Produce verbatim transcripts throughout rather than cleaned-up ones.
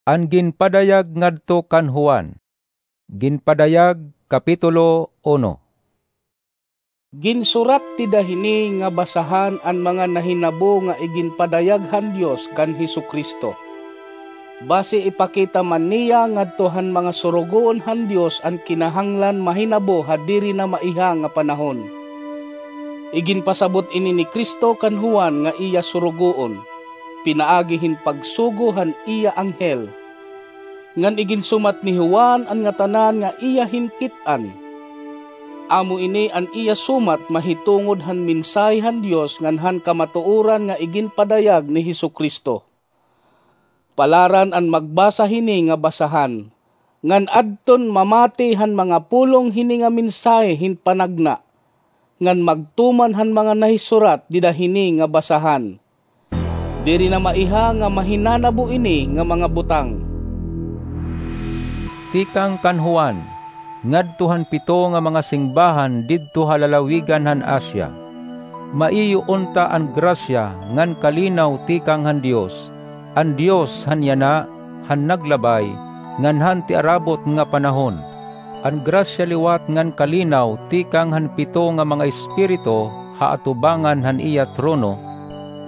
An ginpadayag ngadto kan Juan. Ginpadayag, Kapitulo uno. Ginsurat dida hini nga basahan an mga nahinabo nga iginpadayag han Dios kan Jesu-Cristo, basi ipakita man niya ngadto han mga surugoon han Dios an kinahanglan mahinabo ha diri na maiha nga panahon. Iginpasabot ini ni Cristo kan Juan nga iya surugoon, pinaagi hin pagsugo han iya anghel. Ngan iginsumat ni Juan an ngatanan nga iya hinkit-an. Amo ini an iya sumat mahitungod han mensahe han Dios ngan han kamatuoran nga iginpadayag ni Jesu-Cristo. Palaran an magbasa hini nga basahan, ngan adton mamati han mga pulong hini nga mensahe hin panagna, ngan magtuman han mga nahisurat dida hini nga basahan. Diri na maiha nga mahinanabo ini nga mga butang. Tikang kan Juan, ngadto han pito nga mga singbahan didto ha lalawigan han Asia. Maiyo unta an grasya ngan kalinaw tikang han Dios, an Dios han yana, han naglabay, ngan han tiarabot nga panahon. An grasya liwat ngan kalinaw tikang han pito nga mga espiritu ha atubangan han iya trono,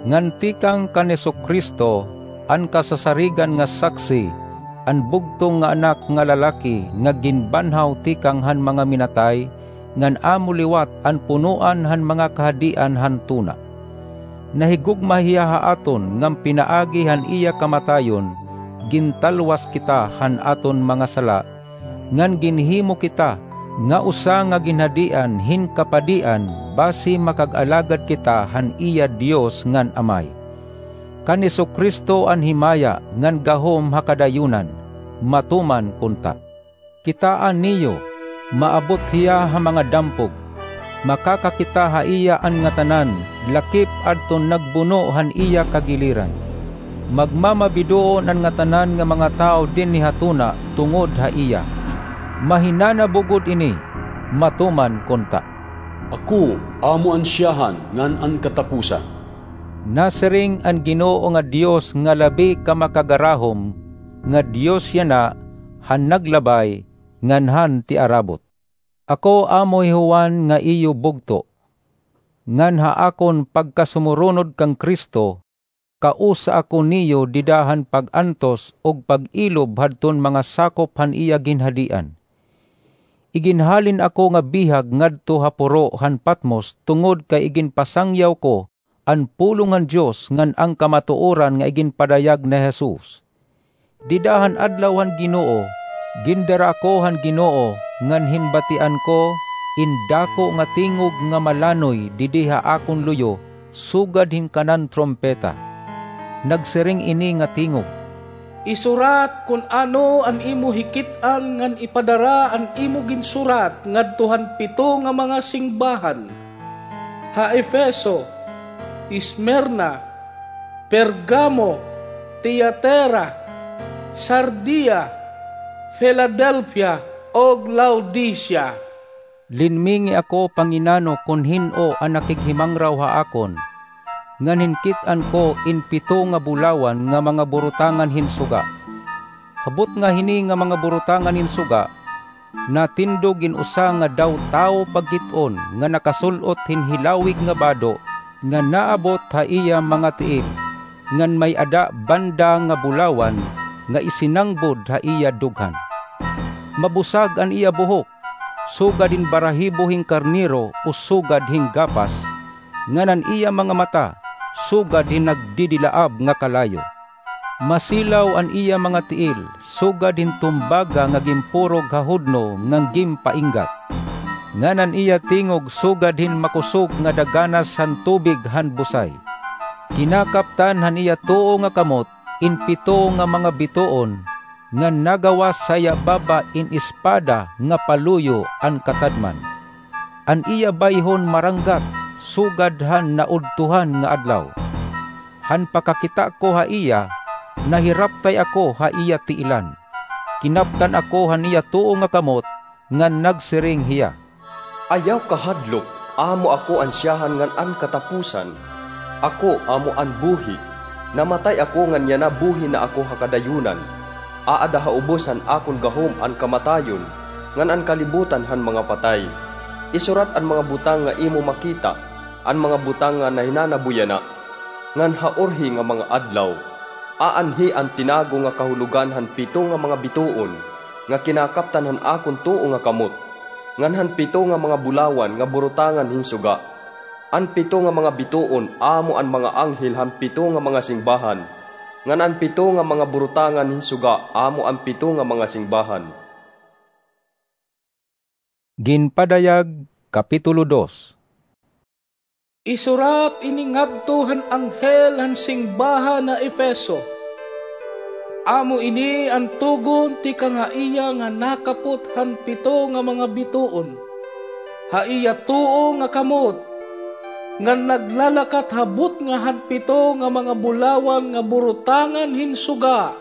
ngan tikang kan Jesu-Cristo, an kasasarigan nga saksi, an bugtong nga Anak nga lalaki nga ginbanhaw tikang han mga minatay, ngan amo liwat an punoan han mga kahadian han tuna. Nahigugma hiya ha aton ngan pinaagi han iya kamatayon, gintalwas kita han aton mga sala, ngan ginhimo kita nga usa nga ginhadian hin kapadian basi makag-alagad kita han iya Dios ngan Amay. Kan Jesu-Cristo an himaya ngan gahom ha kadayunan, matuman kunta. Kitaa niyo, maabot hiya ha mga dampog. Makakakita ha iya an ngatanan, lakip adton nagbuno han iya kagiliran. Magmamabidoon an ngatanan nga mga tawo dinhi ha tuna tungod ha iya. Mahinanabo gud ini, matuman kunta. Ako amo an siyahan ngan an katapusan. Nasiring an Ginoo nga Dios nga labi ka makagarahom, nga Dios yana han naglabay ngan han tiarabot. Ako amo hi Juan nga iyo bugto, ngan ha akon pagkasumurunod kan Cristo, kausa ako niyo dida han pag-antos ug pag-ilob hadton mga sakop han iya ginhadian. Iginhalin ako nga bihag ngadto ha puro han Patmos tungod kay iginpasangyaw ko an pulong han Dios ngan an kamatuoran nga iginpadayag ni Jesus. Dida han adlaw han Ginoo, gindara ako han Ginoo, ngan hinbatian ko in dako nga tingog nga malanoy didi ha akon luyo, sugad hin kanan trumpeta. Nagsiring ini nga tingog, "Isurat kon ano an imo hikit-an ngan ipadara an imo ginsurat ngadto han pito nga mga singbahan, ha Efeso, Esmirna, Pergamo, Tiatira, Sardia, Filadelfia, ug Laodicea." Linmingi ako panginano kon hin-o an nakighimangraw ha akon, ngan hinkit-an ko in pito nga bulawan nga mga burutangan hin suga. Ha butnga hini nga mga burutangan hin suga, natindog in usa nga daw tawo pagkit-on nga nakasul-ot hin hilawig nga bado nga naabot ha iya mga tiil, ngan may-ada banda nga bulawan nga isinangbod ha iya dughan. Mabusag an iya buhok, sugad hin barahibo hin karnero o sugad hin gapas, ngan an iya mga mata sugad hin nagdidilaab nga kalayo. Masilaw an iya mga tiil, sugad hin tumbaga nga ginpurog ha hudno ngan ginpainggat, ngan an iya tingog sugad hin makosog nga daganas han tubig han busay. Kinakaptan han iya tuo nga kamot in pito nga mga bituon, ngan nagawas ha iya baba in espada nga paluyo an katadman. An iya bayhon maranggat sugad han naudtohan nga adlaw. Han pakakita ko ha iya, nahiraptay ako ha iya tiilan. Kinaptan ako han iya tuo nga kamot, ngan nagsiring hiya, "Ayaw kahadlok, amo ako an siyahan ngan an katapusan. Ako amo an buhi. Namatay ako ngan yana buhi na ako ha kadayunan. Aada ha ubos han akon gahom an kamatayon, ngan an kalibutan han mga patay. Isurat an mga butang nga imo makita, an mga butang nga nahinanabo yana, ngan ha urhi nga mga adlaw. Aanhi an tinago nga kahulogan han pito nga mga bituon nga kinakaptan han akon tuo nga kamot, ngan han pito nga mga bulawan nga burutangan hin suga. An pito nga mga bituon amo an mga anghel han pito nga mga singbahan, ngan an pito nga mga burutangan hin suga amo an pito nga mga singbahan. Ginpadayag, Kapitulo dos. Isurat ini ngadto han anghel han singbahan ha Efeso. Amo ini an tugon tikang ha iya nga nakapot han pito nga mga bituon ha iya tuo nga kamot, ngan naglalakat ha butnga han pito nga mga bulawan nga burutangan hin suga.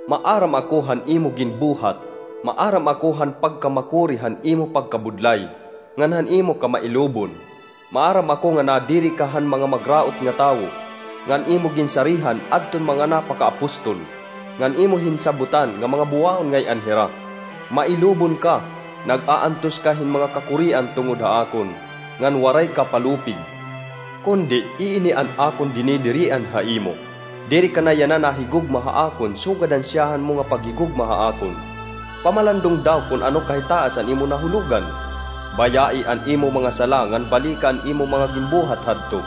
Maaram ako han imo ginbuhat, maaram ako han pagkamakuri han imo pagkabudlay, ngan han imo kamailubon. Maaram ako nga nadiri ka han mga magraot nga tawo, ngan imo ginsarihan adton mga napakaapostol, ngan imo hinsabotan nga mga buwaon ngay-an hira. Mailubon ka, nag-aantos ka hin mga kakurian tungod ha akon, ngan waray ka palupig. Kundi iini an akon dinidirian ha imo. Diri ka na yana nahigugma ha akon sugad han siyahan mo nga paghigugma ha akon. Pamalandong daw kon ano kahitaas an imo nahulogan. Bayai an imo mga sala ngan balika an imo mga ginbuhat hadto.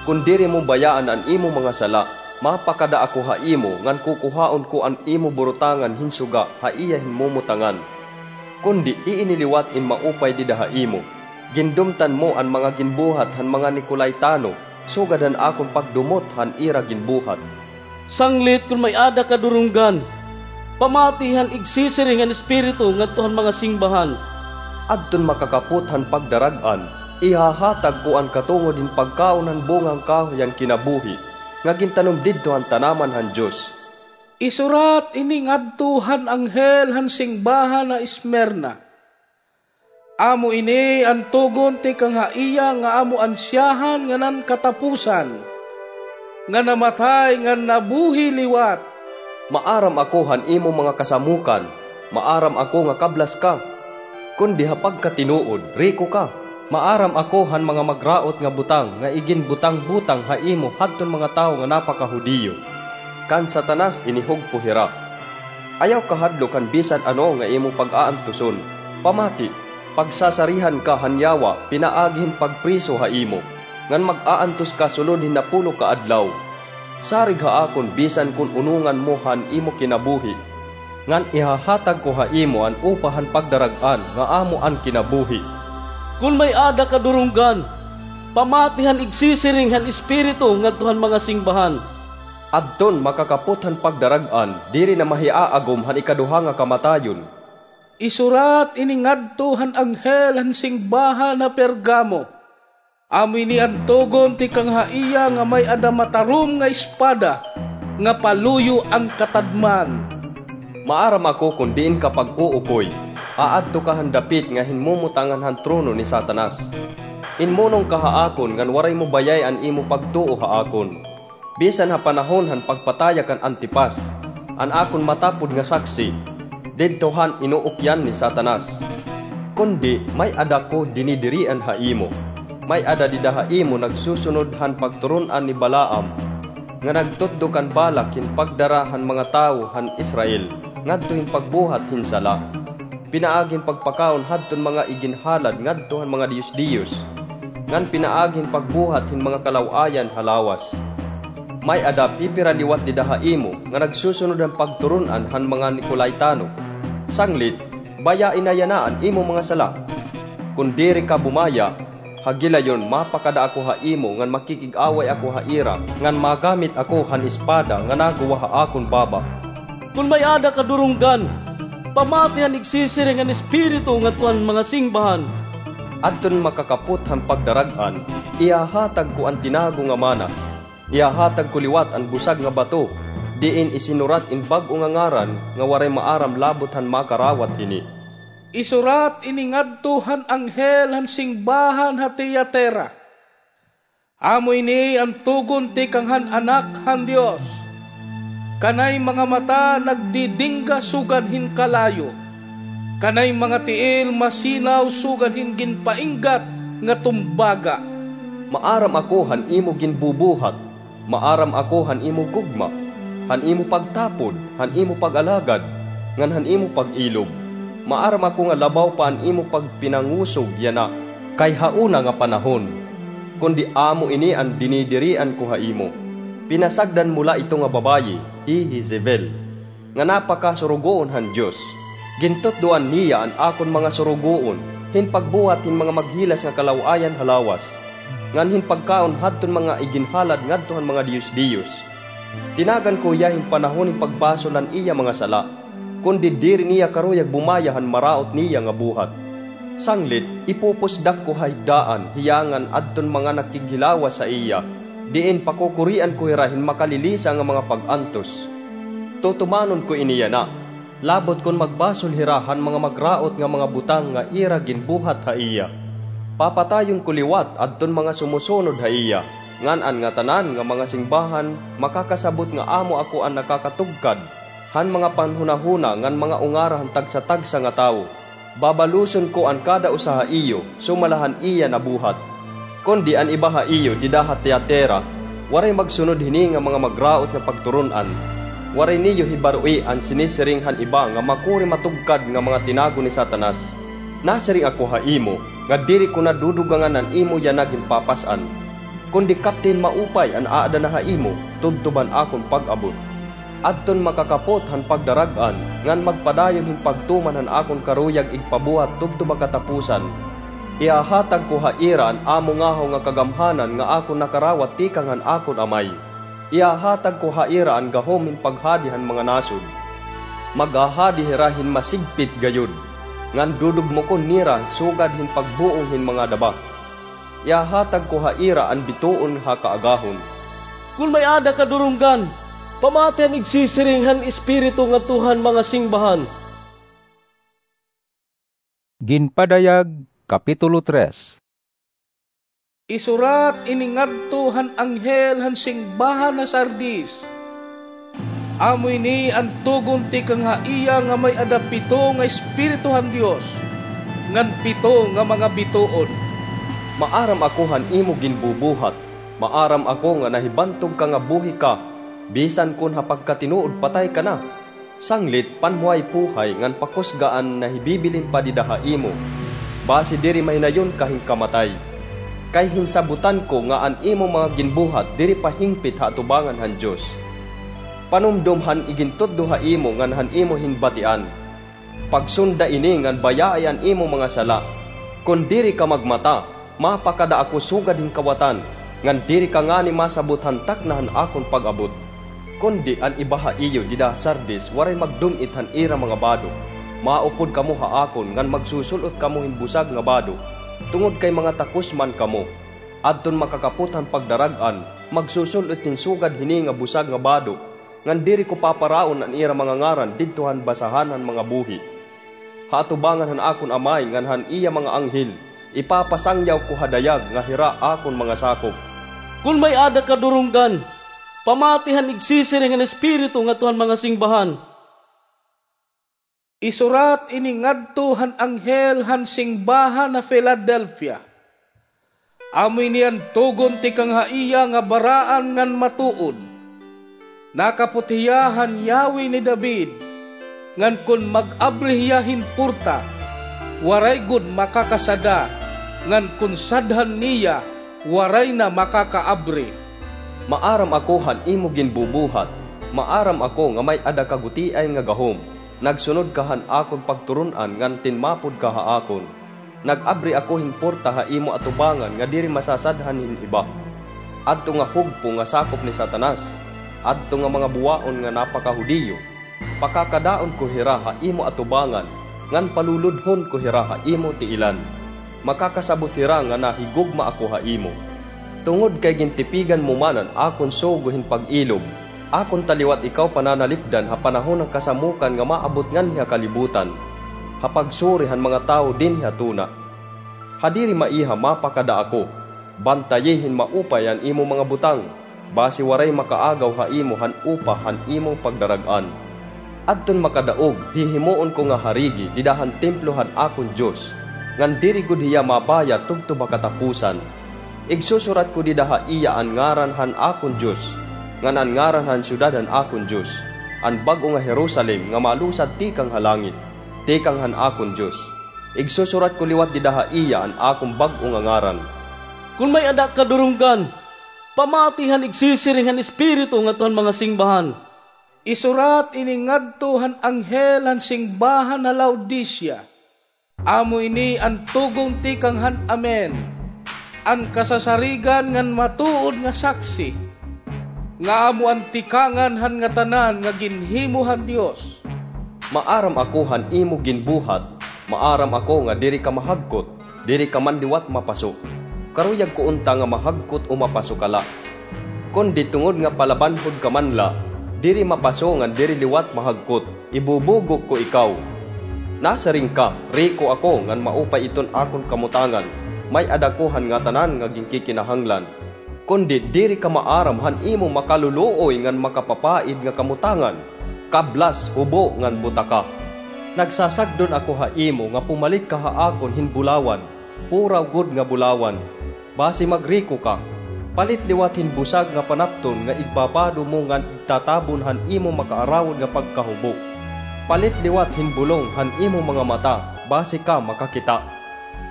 Kon diri mo bayaan an imo mga sala, mapakada ako ha imo ngan kukuhaon ko an imo burutangan hin suga ha iya hinmumutangan. Kundi iini liwat in maupay dida ha imo. Gindumtan mo an mga ginbuhat han mga Nicolaitano, sugad han akon pagdumot han ira ginbuhat. Sanglit kon may-ada ka durunggan, pamati han igsisiring han Espiritu ngadto han mga singbahan. Adton makakapot han pagdarag-an, ihahatag ko an katungod hin pagkaon han bunga han kahoy han kinabuhi, nga gintanom didto han tanaman han Dios. Isurat ini ngadto han anghel han singbahan ha Esmirna. Amo ini an tugon tikang ha iya nga amo an siyahan ngan an katapusan, nga namatay ngan nabuhi liwat. Maaram ako han imo mga kasamokan, maaram ako nga kablas ka, kundi ha pagkatinuod, riko ka. Maaram ako han mga magraot nga butang nga iginbutang-butang ha imo hadton mga tawo nga napakahudiyo. Kan Satanas inihugpo hira. Ayaw kahadlok han bisan ano nga imo pag-aantuson. Pamati, pagsasarihan ka han yawa pinaagi hin pagpriso ha imo, ngan mag-aantos ka sulod hin napulo ka adlaw. Sarig ha akon bisan kon unongan mo han imo kinabuhi, ngan ihahatag ko ha imo an upa han pagdarag-an nga amo an kinabuhi. Kon may-ada ka durunggan, pamati han igsisiring han Espiritu ngadto han mga singbahan. Adton makakapot han pagdarag-an, diri na mahiaagom han ikaduha nga kamatayon. Isurat ini ngadto han anghel han singbahan ha Pergamo. Amo ini an tugon tikang ha iya nga may-ada matarom nga espada, nga paluyo an katadman. Maaram ako kon diin ka pag-uukoy. Aadto ka han dapit nga hinmumutangan han trono ni Satanas. Inmunong ka ha akon ngan waray mo bayay an imo pagtuo ha akon. Bisan ha panahon han pagpataya kan Antipas, an akon matapod nga saksi, didto han inuukyan ni Satanas. Kundi may-ada ko dinidirian ha imo. May-ada dida ha imo nagsusunod han pagturun-an ni Balaam, nga nagtutdo kan Balak hin pagdara han mga tawo han Israel ngadto hin pagbuhat hin sala. Pinaagi hin pagpakaon hadton mga iginhalad ngadto han mga diyos-diyos, ngan pinaagi hin pagbuhat hin mga kalaw-ayan ha lawas. May-ada pipira liwat dida ha imo nga nagsusunod han pagturun-an han mga Nicolaitano. Sanglit, bayai na yana an imo mga sala. Kon diri ka bumaya, ha gilayon mapakada ako ha imo ngan makikig-away ako ha ira, ngan magamit ako han espada nga naguwa ha akon baba. Kon may-ada ka durunggan, pamati han igsisiring han Espiritu ngadto han mga singbahan. Adton makakapot han pagdarag-an, ihahatag ko an tinago nga mana. Ihahatag ko liwat an busag nga bato, diin isinurat in bag-o nga ngaran nga waray maaram labot han makarawat hini. Isurat ini ngadto han anghel han singbahan ha Tiatira. Amo ini an tugon tikang han Anak han Dios. Kanay mga mata nagdidingga sugad hin kalayo, kanay mga tiil masinaw sugad hin ginpainggat nga tumbaga. Maaram ako han imo ginbubuhat, maaram ako han imo gugma, han imo pagtapod, han imo pag-alagad, ngan han imo pag-ilob. Maaram ako nga labaw pa an imo pagpinangusog yana kay ha una nga panahon. Kundi amo ini an dinidirian ko ha imo. Pinasagdan mo la ito nga babaye, hi Jezebel, nga napakasurugoon han Dios. Gintutdoan niya an akon mga surugoon hin pagbuhat hin mga maghilas nga kalaw-ayan ha lawas, ngan hin pagkaon hadton mga iginhalad ngadto han mga diyos-diyos. Tinagan ko hiya hin panahon hin pagbasol han iya mga sala, kundi diri niya karuyag bumaya han maraot niya nga buhat. Sanglit, ipupusdak ko ha higdaan hiya ngan adton mga nakighilawas ha iya, diin pakukurian ko hira hin makalilisa nga mga pag-antos. Tutumanon ko ini yana, labot kon magbasol hira han mga magraot nga mga butang nga ira ginbuhat ha iya. Papatayon ko liwat adton mga sumusunod ha iya, ngan an ngatanan nga mga singbahan makakasabot nga amo ako an nakakatugkad han mga panhunahuna ngan mga ungara han tagsa-tagsa nga tawo. Babaluson ko an kada usa ha iyo sumala han iya nabuhat. Kundi an iba ha iyo dida ha Tiatira, waray magsunod hini nga mga magraot nga pagturon-an. Waray niyo hibaroi an sinisiring han iba nga makuri matugkad nga mga tinago ni Satanas. Nasiring ako ha imo nga diri ko na dudugangan an imo yana ginpapas-an. Kundi kapti hin maupay an aada na ha imo, tubtob han akon pag-abot. Adton makakapot han pagdarag-an, ngan magpadayon hin pagtuman han akon karuyag igpabuhat tubtob ha katapusan. Ihahatag ko ha ira an amo ngahaw nga kagamhanan nga akon nakarawat tikang han akon Amay. Ihahatag ko ha ira an gahom hin paghadi han mga nasod. Maghahadi hira hin masigpit gayod, ngan dudugmokon nira sugad hin pagbuong hin mga daba. Ihahatag ko ha ira an bituon ha kaagahon. Kon may-ada ka durunggan, pamati han igsisiring han Espiritu ngadto han mga singbahan. Ginpadayag, Kapitulo tres. Isurat ini ngadto han anghel han singbahan ha Sardis. Amo ini an tugon tikang ha iya nga may-ada pito nga espiritu han Dios, ngan pito nga mga bituon. Maaram ako han imo ginbubuhat, maaram ako nga nahibantog ka nga buhi ka, bisan kon ha pagkatinuod patay ka na. Sanglit, panhuhay-puhay ngan pakusga an nahibibilin pa dida ha imo, basi diri mahinayon ka hin kamatay. Kay hinsabutan ko nga an imo mga ginbuhat diri pa hingpit ha atubangan han Dios. Panumdom han igintutdo ha imo ngan han imo hinbatian. Pagsunda ini ngan bayaai an imo mga sala. Kon diri ka magmata, mapakada ako sugad hin kawatan, ngan diri ka ngani masabot han takna han akon pag-abot. Kundi an iba ha iyo dida ha Sardis waray magdum-it han ira mga bado. Maupod kamo ha akon ngan magsusul-ot kamo hin busag nga bado, tungod kay mga takos man kamo. Adton makakapot han pagdarag-an, magsusul-ot hin sugad hini nga busag nga bado, ngan diri ko paparaon an ira mga ngaran didto han basahan han mga buhi. Ha atubangan han akon Amay ngan han iya mga anghel, ipapasangyaw ko ha dayag nga hira akon mga sakop. Kon may-ada ka durunggan, pamati han igsisiring han Espiritu ngadto han mga singbahan. Isurat ini ngadto han anghel han singbahan ha Filadelfia. Amo ini an tugon tikang ha iya nga baraan ngan matuod. Nakapot hiya han yawi ni David, ngan kon mag-abri hiya hin porta, waray gud makakasada, ngan kon sadhan niya, waray na makakaabri. Maaram ako han imo ginbubuhat, maaram ako nga may-ada ka gutiay nga gahom. Nagsunod ka han akon pagturon-an ngan tinmapod ka ha akon. Nag-abri ako hin porta ha imo atubangan nga diri masasadhan hin iba. Adto nga hugpo nga sakop ni Satanas, adto nga mga buwaon nga napakahudiyo, pakakadaon ko hira ha imo atubangan, ngan paluludhon ko hira ha imo tiilan. Makakasabot hira nga nahigugma ako ha imo. Tungod kay gintipigan mo man an akon sugo hin pag-ilob, akon ta liwat ikaw pananalipdan ha panahon han kasamokan nga maabot nganhi ha kalibutan, ha pagsuri han mga tawo dinhi ha tuna. Ha diri maiha mapakada ako, bantayi hin maupay an imo mga butang, basi waray makaagaw ha imo han upa han imong pagdarag-an. Adton makadaog, hihimuon ko nga harigi dida han templo han akon Dios, ngan diri gud hiya mabayad tubtob ha kataposan. Igsusurat ko dida ha iya an ngaran han akon Dios, ngan an ngaran han syudad han akon Dios, an bag-o nga Jerusalem nga malusad tikang ha langit, tikang han akon Dios. Igsusurat ko liwat dida ha iya an akon bag-o nga ngaran. Kon may-ada kadurunggan, pamati han igsisiring han Espiritu ngadto han mga singbahan. Isurat ini ngadto han anghel han singbahan ha Laodicea. Amo ini an tugon tikang han Amen, an kasasarigan ngan matuod nga saksi, nga amo an tikangan han ngatanan nga ginhimo han Dios. Maaram ako han imo ginbuhat, maaram ako nga diri ka mahagkot, diri ka man liwat mapaso. Karuyag ko unta nga mahagkot o mapaso ka la. Kundi tungod nga palabanhod ka man la, diri mapaso ngan diri liwat mahagkot, ibubugok ko ikaw. Nasiring ka, riko ako ngan maupay iton akon kamutangan, may-ada ko han ngatanan nga ginkikinahanglan. Kundi diri ka maaram han imo makaluluoy ngan makapapaid nga kamutangan, kablas, hubo ngan butaka. Nagsasagdon ako ha imo nga pumalit ka ha akon hin bulawan, puraw gud nga bulawan, basi magriko ka. Palit liwat hin busag nga panapton nga igbabado mo ngan igtatabon han imo makaarawod nga pagkahubo. Palit liwat hin bulong han imo mga mata, basi ka makakita.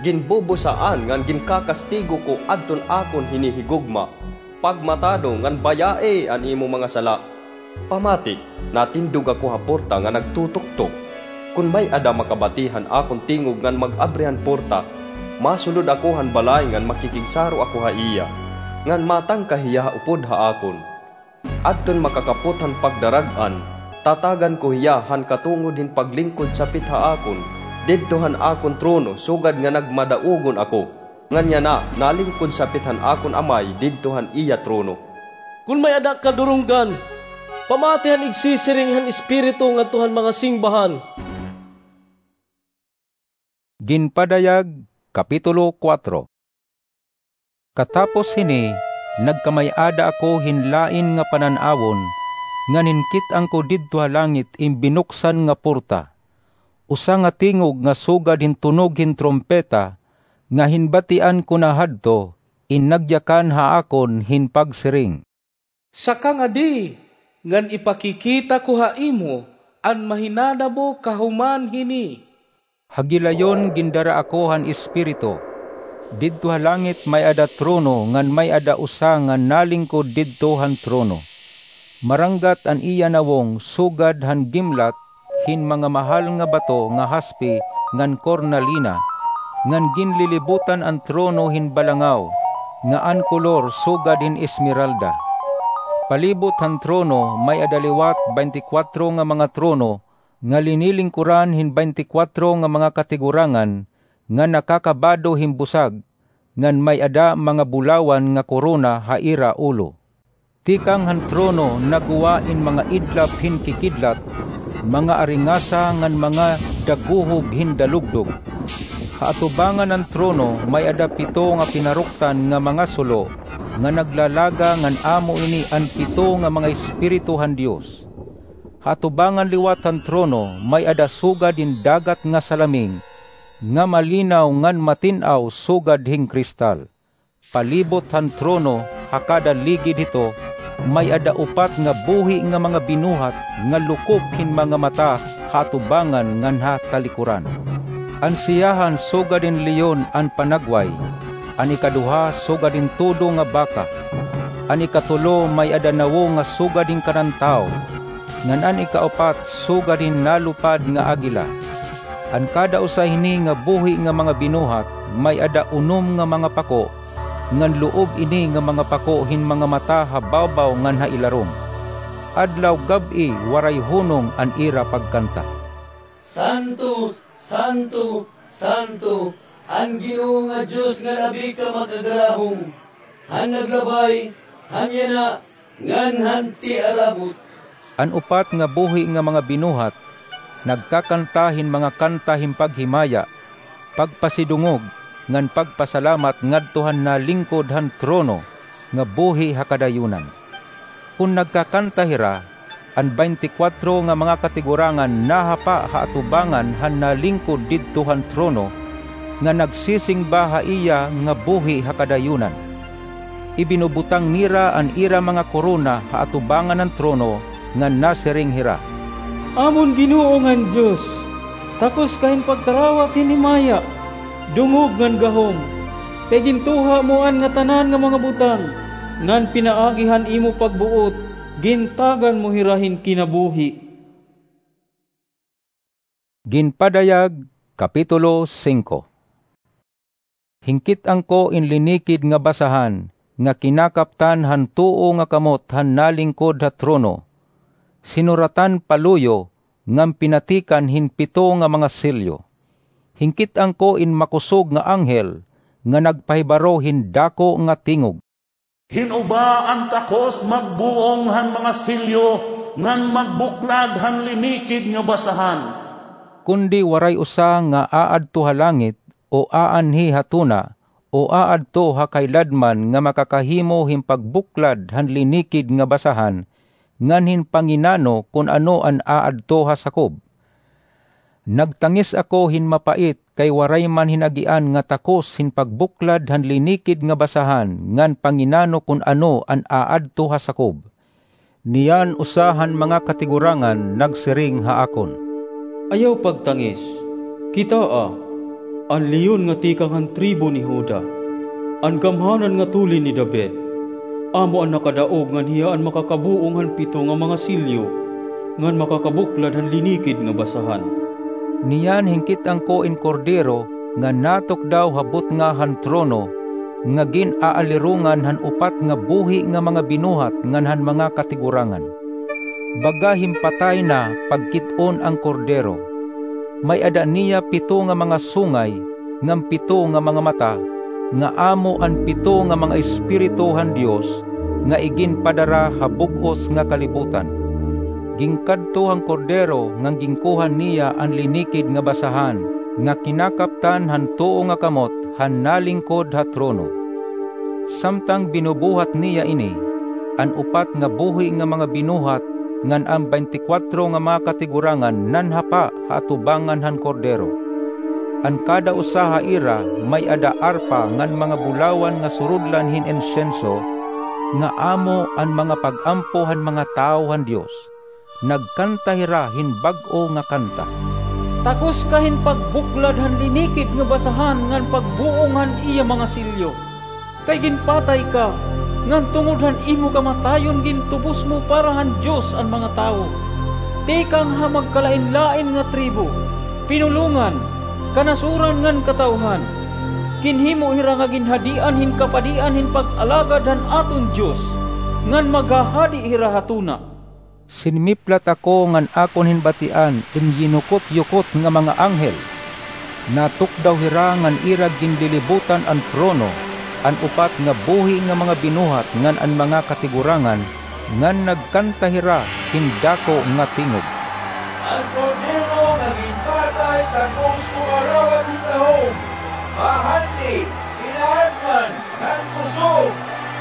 Ginbubusaan ngan ginkakastigo ko adton akon hinihigugma. Pagmatado ngan bayai an imo mga sala. Pamati, natindog ako ha porta ngan nagtutuktok. Kon may-ada makabati han akon tingog ngan mag-abri han porta, masulod ako han balay ngan makikigsaro ako ha iya, ngan matangka hiya ha upod ha akon. Adton makakapot han pagdarag-an, tatagan ko hiya han katungod hin paglingkod sapit ha akon, didto han akon trono sugad nga nagmadaugon ako. Ngan yana, nalingkod sapit han akon Amay didto han iya trono. Kon may-ada kadurunggan, pamati han igsisiring han Espiritu ngadto han mga singbahan. Ginpadayag, Kapitulo kuwatro. Katapos hini, nagkamay-ada ako hin lain nga panan-awon, ngan hinkit-an ko didto ha langit in binuksan nga porta. Usa nga tingog nga sugad hin tunog hin trumpeta, nga hinbatian ko na hadto, in nagyakan ha akon hin pagsiring, "Saka ngadi, ngan ipakikita ko ha imo an mahinanabo kahuman hini." Ha gilayon gindara ako han Espiritu. Didto ha langit may-ada trono ngan may-ada usa nga nalingkod didto han trono. Maranggat an iya nawong sugad han gimlat hin mga mahal nga bato nga haspe ngan kornalina, ngan ginlilibutan an trono hin balangaw, nga an kolor sugad hin esmeralda. Palibot han trono may-ada liwat baynte kwatro nga mga trono, nga linilingkoran hin baynte kwatro nga mga katigurangan nga nakakabado hin busag, ngan may-ada mga bulawan nga korona ha ira ulo. Tikang han trono naggwa in mga idlap hin kikidlat, mga aringasa ngan mga daguhob hin dalugdog. Ha atubangan han trono may-ada pito nga pinaruktan nga mga sulo nga naglalaga, ngan amo ini an pito nga mga espiritu han Dios. Ha atubangan liwat han trono may-ada sugad hin dagat nga salaming, nga malinaw ngan matin-aw sugad hin kristal. Palibot han trono, ha kada ligid hito, may-ada upat nga buhi nga mga binuhat nga lukop hin mga mata ha atubangan ngan ha talikoran. An siyahan sugad hin leon an panagway, an ikaduha sugad hin tudo nga baka, an ikatulo may-ada nawong nga sugad hin kanan tawo, ngan an ikaupat sugad hin nalupad nga agila. An kada usa hini nga buhi nga mga binuhat may-ada unom nga mga pako, ngan loob ini nga mga pako hin mga mata ha bawbaw ngan ha ilarom. Adlaw gab-i waray hunong an ira pagkanta, "Santo, santo, santo, an Ginoo nga Dios nga Abi ka Makagalahom, han naglabay han yana ngan han tiarabot." An upat nga buhi nga mga binuhat nagkakanta hin mga kanta hin paghimaya, pagpasidungog, ngan pagpasalamat ngadto han nalingkod han trono nga buhi ha kadayunan. Kon nagkakanta hira, an baynte kwatro nga mga katigurangan nahapa ha atubangan han nalingkod didto han trono, nga nagsisingba ha iya nga buhi ha kadayunan. Ibinubutang nira an ira mga korona ha atubangan han trono, ngan nasiring hira, "Amon Ginoo ngan Dios, takos ka hin pagkarawat hin himaya, dungog ngan gahom, kay gintuha mo an ngatanan nga mga butang, ngan pinaagi han imo pagbuot, gintagan mo hira hin kinabuhi." Ginpadayag, Kapitulo singko. Hinkit-an ko in linikid nga basahan nga kinakaptan han tuo nga kamot han nalingkod ha trono. Sinuratan paluyo ngan pinatikan hin pito nga mga selyo. Hinkit-an ko in makusog nga anghel nga nagpahibaro hin dako nga tingog, "Hin-o ba an takos magbuong han mga selyo ngan magbuklad han linikid nga basahan?" Kundi waray usa nga aadto ha langit, o aanhi ha tuna, o aadto ha kahiladman nga makakahimo hin pagbuklad han linikid nga basahan, ngan hin panginano kon ano an aadto ha sakob. Nagtangis ako hin mapait kay waray man hin agian nga takos hin pagbuklad han linikid nga basahan ngan panginano kon ano an aadto ha sakob. Niyan usa han mga katigurangan nagsiring ha akon, "Ayaw pagtangis. Kitaa, an leon nga tikang han tribo ni Juda, an gamhanan nga tulin ni David, amo an nakadaog ngan hiya an makakabuong han pito nga mga selyo ngan makakabuklad han linikid nga basahan." Niyan hinkit-an ko in Kordero nga natukdaw ha butnga han trono, nga gin-aalirongan han upat nga buhi nga mga binuhat ngan han mga katigurangan. Baga hin patay na pagkit-on an Kordero. May-ada niya pito nga mga sungay ngan pito nga mga mata, nga amo an pito nga mga espiritu han Dios nga iginpadara ha bug-os nga kalibutan. Ginkadto han Kordero ngan ginkuha niya an linikid nga basahan nga kinakaptan han tuo nga kamot han nalingkod ha trono. Samtang binubuhat niya ini, an upat nga buhi nga mga binuhat ngan an baynte kwatro nga mga katigurangan nanhapa ha atubangan han Kordero. An kada usa ha ira may-ada arpa ngan mga bulawan nga surudlan hin insenso, nga amo an mga pag-ampo han mga tawo han Dios. Nagkanta hira hin bag-o nga kanta, "Takos ka hin pagbuklad han linikid nga basahan ngan pagbuong han iya mga selyo. Kay ginpatay ka, ngan tungod han imo kamatayon gintubos mo para han Dios an mga tawo. Tikang ha magkalainlain nga tribo, pinulongan, kanasuran ngan katawhan, ginhimo hira nga ginhadian hin kapadian hin pag-alagad han aton Dios, ngan maghahadi hira ha tuna." Sinmiplat ako ngan akon hinbatian in yinukot-yukot nga mga anghel. Natukdaw hira ngan ira ginlilibutan an trono, an upat nga buhi nga mga binuhat ngan an mga katigurangan, ngan nagkanta hira hin dako nga tingog, "An Kordero nga ginpatay takos kumarawat hin gahom, bahandi, kinaadman, ngan kusog,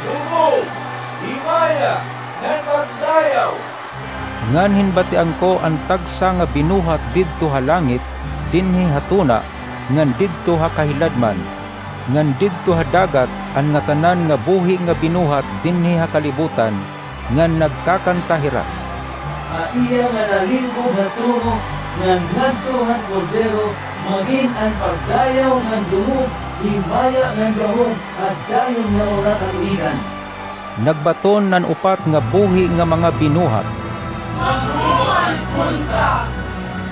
dungog, himaya, ngan pagdayaw." Ngan hinbatian ko an tagsa nga binuhat didto ha langit, dinhi ha tuna, ngan didto ha kahiladman, ngan didto ha dagat an ngatanan nga buhi nga binuhat dinhi ha kalibutan, ngan nagkakanta hira, "Ha iya nga nalingkod ha trono ngan ngadto han Kordero magin an pagdayaw ngan dungog, himaya ngan gahom, ha dayon nga mga katuigan." Nagbaton an upat nga buhi nga mga binuhat, "Maghuman kunta!"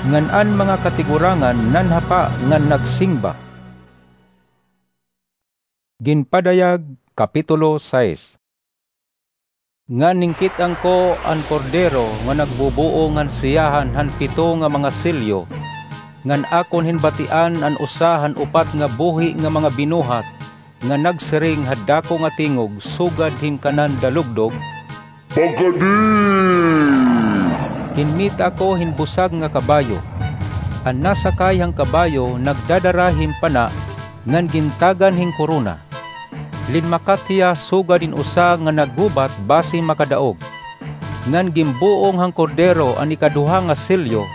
Ngan an mga katigurangan nanhapa ngan nagsingba. Ginpadayag, Kapitulo sais. Ngan hinkit-an ko an Kordero nga nagbubuong han siyahan han pito nga mga selyo, ngan akon hinbatian an usa han upat nga buhi nga mga binuhat nga nagsiring ha dako nga tingog sugad hin kanan dalugdog, "Pagadi!" Kinmita ako hin busag nga kabayo. An nasakay han kabayo nagdadara hin pana ngan gintagan hin korona. Linmakat hiya sugad hin usa nga naggubat basi makadaog. Ngan ginbuong han Kordero an ikaduha nga selyo,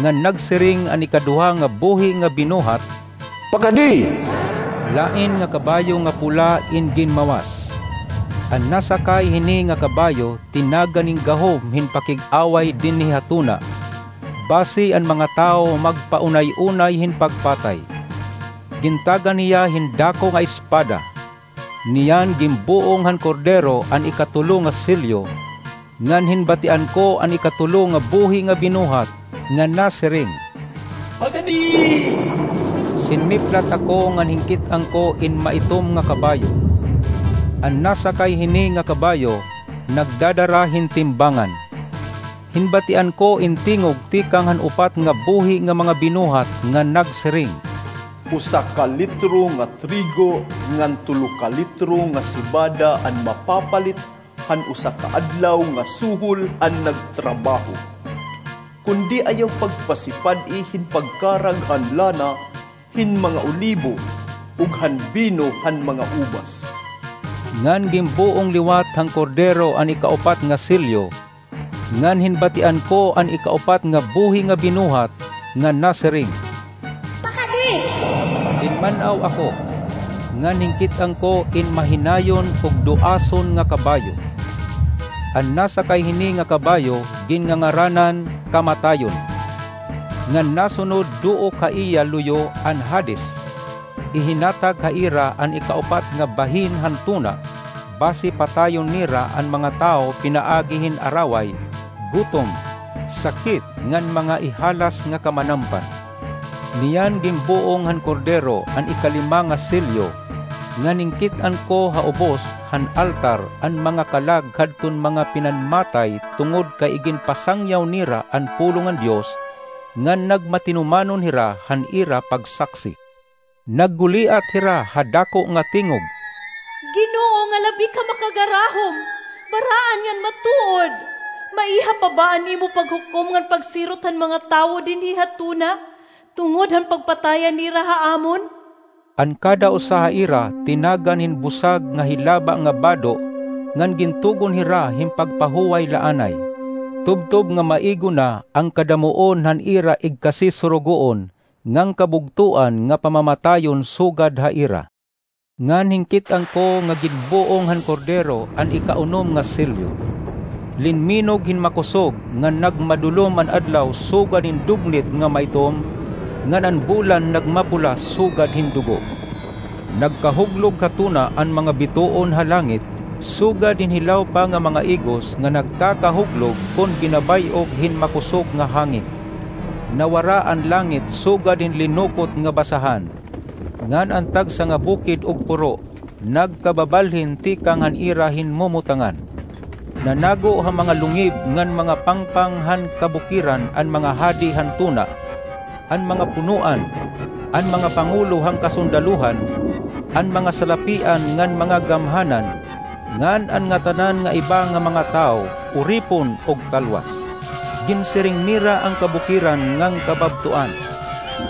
ngan nagsiring an ikaduha nga buhi nga binuhat, "Pakadi!" Lain nga kabayo nga pula in ginmawas. An nasakay hini nga kabayo tinagan nin gahom hin pakig-away dinhi ha tuna, basi an mga tawo magpaunay-unay hin pagpatay. Gintagan hiya hin dako nga espada. Niyan ginbuong han Kordero an ikatulo nga selyo, ngan hinbatian ko an ikatulo nga buhi nga binuhat, nga nasiring, "Pakadi!" Sinmiplat ako ngan hinkit-an ko in maitom nga kabayo. An nasakay hini nga kabayo nagdadara hin timbangan. Hinbatian ko in tingog tikang han upat nga buhi nga mga binuhat nga nagsiring, "Usa ka litro nga trigo ngan tulo ka litro nga sibada an mapapalit han usa ka adlaw nga suhol han nagtrabaho. Kundi ayaw pagpasipad-i hin pagkarag han lana hin mga olibo ug han bino han mga ubas." Ngan ginbuong liwat han Kordero an ikaupat nga selyo, ngan hinbatian ko an ikaupat nga buhi nga binuhat, nga nasiring, "Pakadi!" Tinman-aw ako, ngan hinkit-an ko in mahinayon ug duason nga kabayo. An nasakay hini nga kabayo ginngangaranan Kamatayon, ngan nasunod duok ha iya luyo an Hades. Ihinatag ha ira an ikaupat nga bahin han tuna, basi patayon nira an mga tawo pinaagi hin araway, gutom, sakit, ngan mga ihalas nga kamanampan. Niyan ginbuong han Kordero an ikalima nga selyo, ngan hinkit-an ko ha ubos han altar an mga kalag hadton mga pinanmatay tungod kay iginpasangyaw nira an pulong han Dios, ngan nagmatinumanon hira han ira pagsaksi. Nagguliat hira ha dako nga tingog, "Ginoo nga labi ka makagarahom, baraan ngan matuod, maiha pa ba an imo paghukom ngan pagsirot han mga tawo dinhi ha tuna, tungod han pagpatayan nira ha amon?" An kada usa ha ira tinagan hin busag nga hilaba nga bado, ngan gintugon hira hin pagpahuway laanay, tubtob nga maigo na an kadamuon han ira igkasisurugoon ngan kabugtoan nga pamamatayon sugad ha ira. Ngan hinkit-an ko nga ginbuong han Kordero an ikaunom nga selyo. Linminog hin makusog ngan nagmadulom an adlaw sugad hin dugnit nga maitom, ngan an bulan nagmapula sugad hin dugo. Nagkahuglog ha tuna an mga bituon ha langit, sugad hin hilaw pa nga mga igos nga nagkakahuglog kon ginabay-og hin makusog nga hangin. Nawara an langit sugad hin linukot nga basahan, ngan an tagsa nga bukid ug puro nagkababalhin tikang han ira hinmumutangan. Nanago ha mga lungib ngan mga pangpang han kabukiran an mga hadi han tuna, an mga punoan, an mga pangulo han kasundalohan, an mga salapian ngan mga gamhanan, ngan an ngatanan nga iba nga mga tawo, uripon ug talwas. Ginsiring nira an kabukiran ngan kababtoan,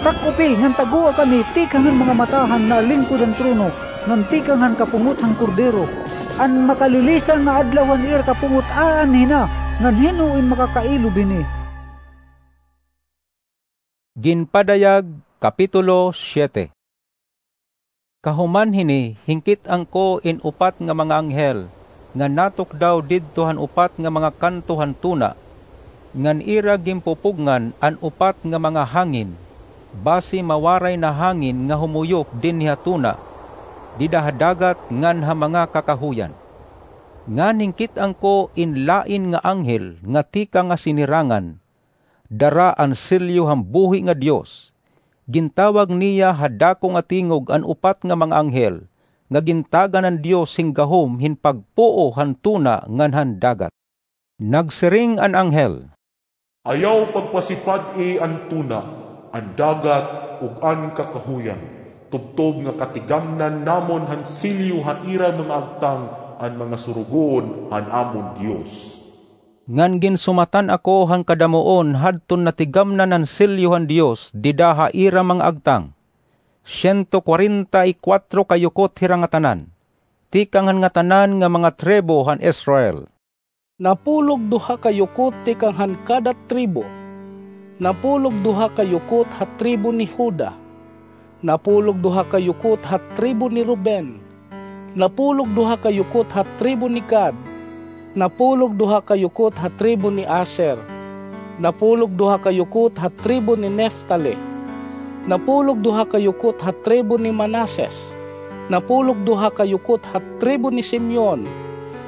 "Tak-opi ngan tagoa kami tikang han mga mata han naalingkod han trono ngan tikang han kapungot han Kordero. An makalilisang nga adlaw han ira kapungot aanhi na, ngan hin-o in makakailob hini?" Ginpadayag, Kapitulo siete. Kahuman hini, hinkit-an ko in upat nga mga anghel nga natukdaw didto han upat nga mga kanto han tuna, ngan ira ginpupugngan an upat nga mga hangin, basi mawaray na hangin nga humuyop dinhi ha tuna, dida ha dagat ngan ha mga kakahuyan. Ngan hinkit-an ko in lain nga anghel nga tikang ha sinirangan, dara an selyo han buhi nga Dios. Gintawag niya ha dako nga tingog an upat nga mga anghel nga gintagan han Dios hin gahom hin pagpuo han tuna ngan han dagat. Nagsiring an anghel, "Ayaw pagpasipad-i an tuna, an dagat, ug an kakahuyan, tubtob nga katigamnan namon han selyo ha ira mga agtang an mga surugoon han amon Dios." Ngan ginsumatan ako han kadamuon hadton natigamnan an selyo han Dios dida ha ira mga agtang. Siento kwarenta y kuwatro ka yukot hira ngatanan, tikang han ngatanan nga mga tribo han Israel. Napulog duha ka yukot tikang han kada tribo. Napulog duha ka yukot ha tribo ni Juda. Napulog duha ka yukot ha tribo ni Ruben. Napulog duha ka yukot ha tribo ni Gad. Napulog duha ka yukot ha tribo ni Aser. Napulog duha ka yukot ha tribo ni Neftali. Napulog duha ka yukot ha tribo ni Manases. Napulog duha ka yukot ha tribo ni Simeon.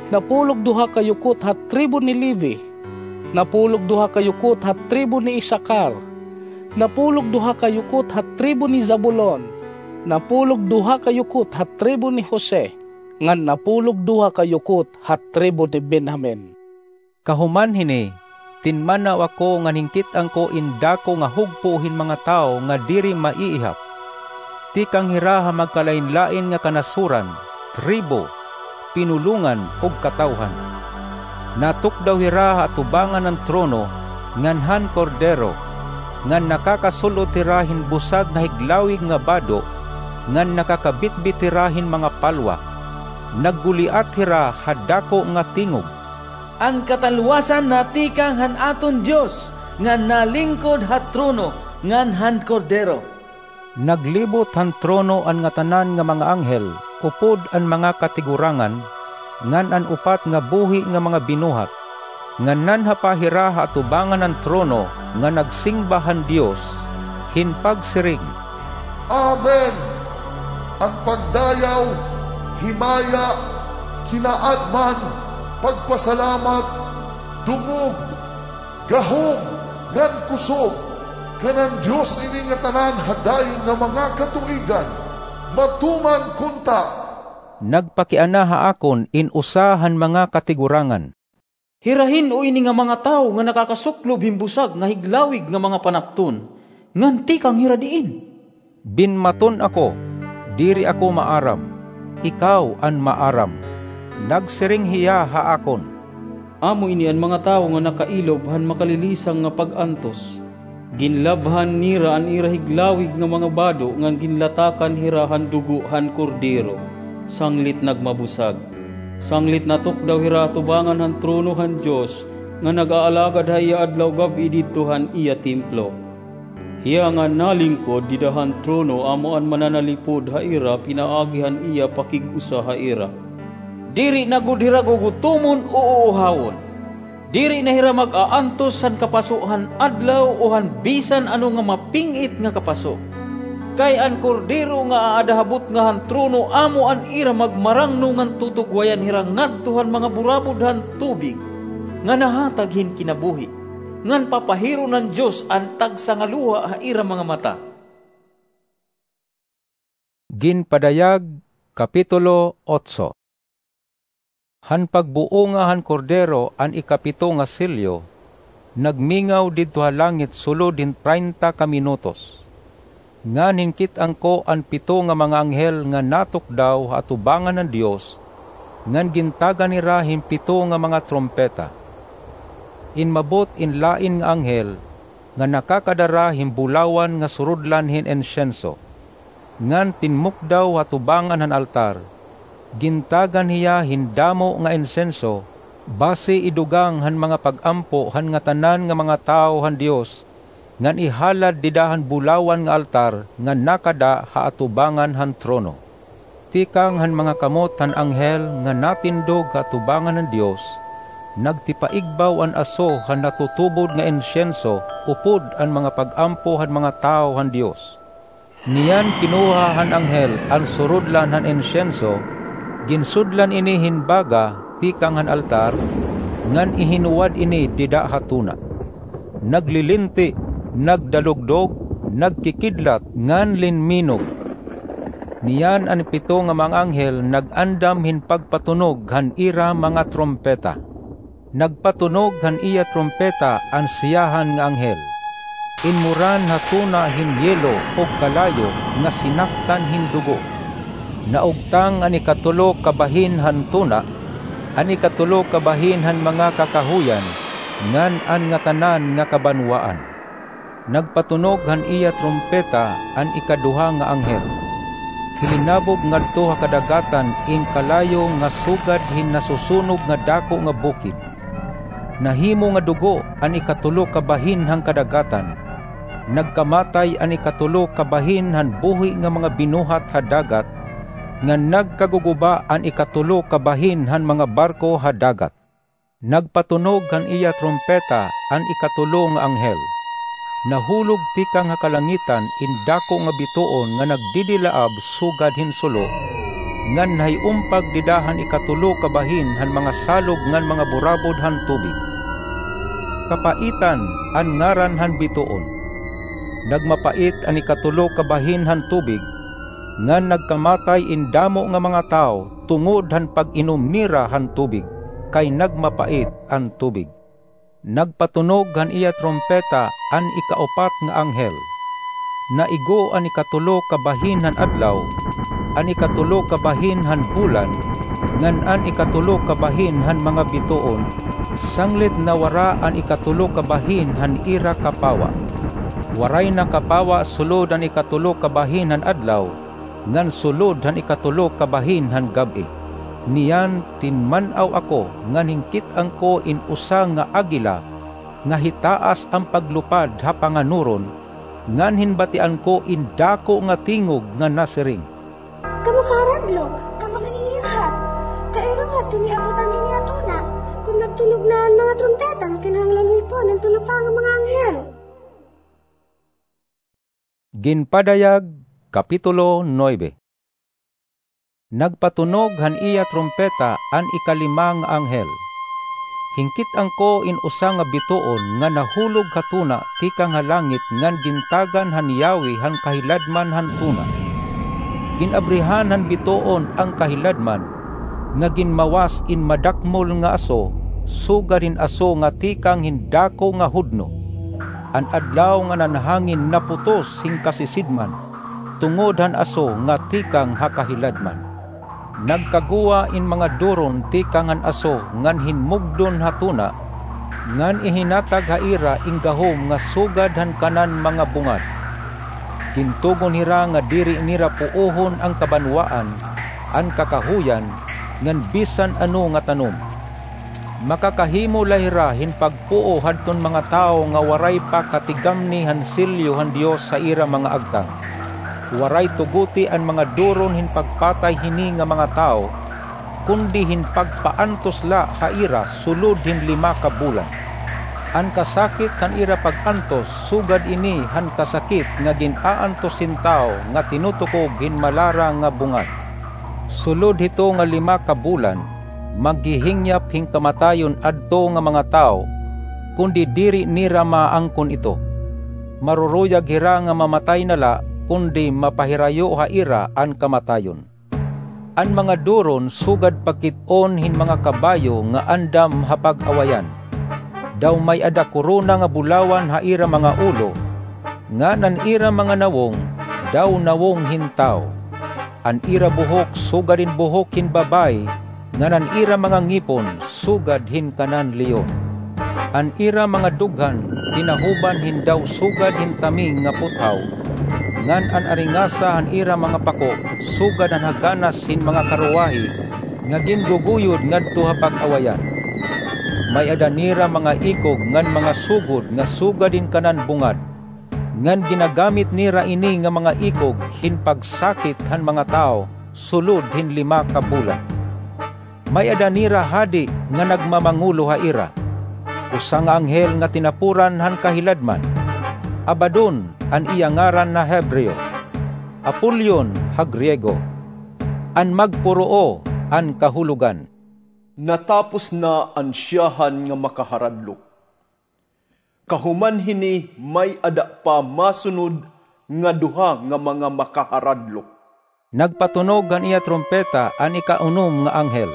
Napulog duha ka yukot ha tribo ni Levi. Napulog duha ka yukot ha tribo ni Isakar. Napulog duha ka yukot ha tribo ni Zabulon. Napulog duha ka yukot ha tribo ni Jose, ngan napulog duha ka yukot ha tribo ni Benjamin. Kahuman hini, tinmanaw ako ngan hinkit-an ko in dako nga hugpo hin mga tawo nga diri maiihap. Tikang hira ha magkalain-lain nga kanasuran, tribo, pinulongan ug katawhan. Natukdaw hira ha atubangan han trono ngan han Kordero, ngan nakakasul-ot hira hin busag nga higlawig nga bado, ngan nakakabitbit hira hin mga palwa. Nagguliat hira ha dako nga tingog, "An katalwasan natikang han aton Dios, nga nalingkod ha trono ngan han Kordero." Naglibot han trono an ngatanan nga mga anghel upod an mga katigurangan, ngan an upat nga buhi nga mga binuhat, ngan nanhapa hira ha atubangan han trono nga nagsingba han Dios, hin pagsiring, "Amen! An pagdayaw, himaya, kinaadman, pagpasalamat, dungog, gahom, ngan kusog, kan an Dios ini ngatanan ha dayon nga mga katuigan, matuman kunta." Nagpakiana ha akon in usa han mga katigurangan, "Hira hin-o ini nga mga tawo nga nakakasuklob hin busag nga higlawig nga mga panapton, ngan tikang hira diin?" Binmaton ako, "Diri ako maaram. Ikaw an maaram." Nagsiring hiya ha akon, "Amo ini an mga tawo nga nakailob han makalilisang nga pag-antos. Ginlabhan nira an ira higlawig nga mga bado ngan ginlatakan hira han dugo han Kordero, sanglit nagmabusag. Sanglit natukdaw hira atubangan han trono han Dios, nga nag-aalagad ha iya adlaw gab-i didto han iya templo. Hiya nga nalingkod dida han trono amo an mananalipod ha ira pinaagi han iya pakig-usa ha ira. Diri na gud hira gugutomon o uuhawon. Diri na hira mag-aantos han kapaso han adlaw o han bisan ano nga maping-it nga kapaso. Kay an Kordero nga aada ha butnga han trono amo an ira magmarangno ngan tutugwayan hira ngadto han mga burabod han tubig nga nahatag hin kinabuhi, ngan papahiron han Dios an tagsangaluha ha ira mga mata." Ginpadayag, Kapitulo otso. Han pagbuonga han Kordero an ikapito nga selyo, nagmingaw didto ha langit sulod hin traynta ka minutos. Ngan hinkit-an ko an pito nga mga anghel nga natukdaw ha atubangan han Dios, ngan gintagan hira hin pito nga mga trumpeta. Inmabot in lain nga anghel, nga nakakadara hin bulawan nga surudlan hin insenso, ngan tinmukdaw ha tubangan han altar. Gintagan hiya hin damo nga insenso, basi idugang han mga pag-ampo han ngatanan nga mga tawo han Dios, ngan ihalad dida han bulawan nga altar nga nakada ha atubangan han trono. Tikang han mga kamot han anghel nga natindog ha atubangan han Dios, nagtipaigbaw an aso han natutubod nga insenso upod an mga pag-ampo han mga tawo han Dios. Niyan kinuha han anghel an surudlan han insenso, ginsudlan ini hin baga tikang han altar, ngan ihinuwad ini dida ha tuna. Naglilinti, nagdalugdog, nagkikidlat, ngan linminog. Niyan an pito nga mga anghel nag-andam hin pagpatunog han ira mga trumpeta. Nagpatunog han iya trumpeta an siyahan nga anghel. Inmuran ha tuna hin yelo ug kalayo nga sinaktan hin dugo. Naugtang an ikatulo ka bahin han tuna, an ikatulo ka bahin han mga kakahuyan, ngan an ngatanan nga kabanwaan. Nagpatunog han iya trumpeta an ikaduha nga anghel. Hilinabog ngadto ha kadagatan in kalayo nga sugad hin nasusunog nga dako nga bukid. Nahimo nga dugo an ikatulo ka bahin han kadagatan. Nagkamatay an ikatulo ka bahin han buhi nga mga binuhat ha dagat, ngan nagkaguguba an ikatulo ka bahin han mga barko ha dagat. Nagpatunog han iya trumpeta an ikatulo nga anghel. Nahulog tikang ha kalangitan in dako nga bituon nga nagdidilaab sugad hin sulo, ngan nahiumpag dida han ikatulo ka bahin han mga salog ngan mga burabod han tubig. Kapaitan an ngaran han bituon. Nagmapait an ikatulo ka bahin han tubig, ngan nagkamatay in damo nga mga tawo tungod han pag-inom nira han tubig, kay nagmapait an tubig. Nagpatunog han iya trumpeta an ikaupat nga anghel. Naigo an ikatulo ka bahin han adlaw, an ikatulo ka bahin han bulan, ngan an ikatulo ka bahin han mga bituon, sanglit nawara an ikatulo ka bahin han ira kapawa. Waray na kapawa sulod han ikatulo ka bahin han adlaw, ngan sulod han ikatulo ka bahin han gab-i. Niyan tinman-aw ako ngan hinkit-an ko in usa nga agila nga hitaas an paglupad ha panganuron, ngan hinbatian ko in dako nga tingog nga nasiring, "Kamo kaharadlok, kamo kaingirhat, kairuhad kon iabot an ini nga tuna, kon nagtunog na an mga trumpeta nga kinahanglan hipon han tulo pa nga mga anghel." Ginpadayag, Kapitulo nuebe. Nagpatunog han iya trumpeta an ikalima nga anghel. Hinkit-an ko in usa nga bituon nga nahulog ha tuna tikang ha langit ngan gintagan han yawi han kahiladman han tuna. Gin-abrihan han bituon an kahiladman, nga ginmawas in madakmol nga aso, sugad hin aso nga tikang hin dako nga hudno. An adlaw ngan an hangin naputos hin kasisidman, tungod han aso nga tikang ha kahiladman. Nagkaguwa in mga duron tikang han aso ngan hinmugdon ha tuna, ngan ihinatag ha ira in gahom nga sugad han kanan mga bungad. Gintugon hira nga diri nira puohon an kabanwaan, an kakahuyan, ngan bisan ano nga tanom. Makakahimo la hira hin pagpuo hadton mga tawo nga waray pa katigamni han selyo han Dios ha ira mga agtang. Waray tugoti an mga duron hin pagpatay hini nga mga tawo, kundi hin pagpaantos la ha ira sulod hin lima ka bulan. An kasakit han ira pag-antos sugad ini han kasakit nga gin-aantos hin tawo nga tinutukob hin malara nga bungad. Sulod hito nga lima ka bulan, maghihingyap hin kamatayon adto nga mga tawo, kundi diri nira maangkon ito. Maruruyag hira nga mamatay na la, kundi mapahirayo ha ira an kamatayon. An mga duron sugad pakit-on hin mga kabayo nga andam ha pag-awayan. Daw may-ada korona nga bulawan ha ira mga ulo, ngan an ira mga nawong daw nawong hin tawo. An ira buhok sugad hin buhok hin babaye, ngan an ira mga ngipon sugad hin kanan leon. An ira mga dughan tinahuban hin daw sugad hin taming nga puthaw, ngan an aringasa han ira mga pako sugad han haganas hin mga karuwahe nga ginguguyod ngadto ha pag-awayan. May-ada nira mga ikog ngan mga sugod nga sugad hin kanan bungad, ngan ginagamit nira ini nga mga ikog hin pagsakit han mga tawo sulod hin lima ka bulan. May-ada nira hadi nga nagmamangulo ha ira. Usa nga anghel nga tinapuran han kahiladman. Abaddon an iya ngaran ha Hebreo, Apollyon ha Griego. An magpuroo an kahulogan. Natapos na an siyahan nga makaharadlok. Kahuman hini, may-ada pa masunod nga duha nga mga makaharadlok. Nagpatunog han iya trumpeta an ikaunom nga anghel.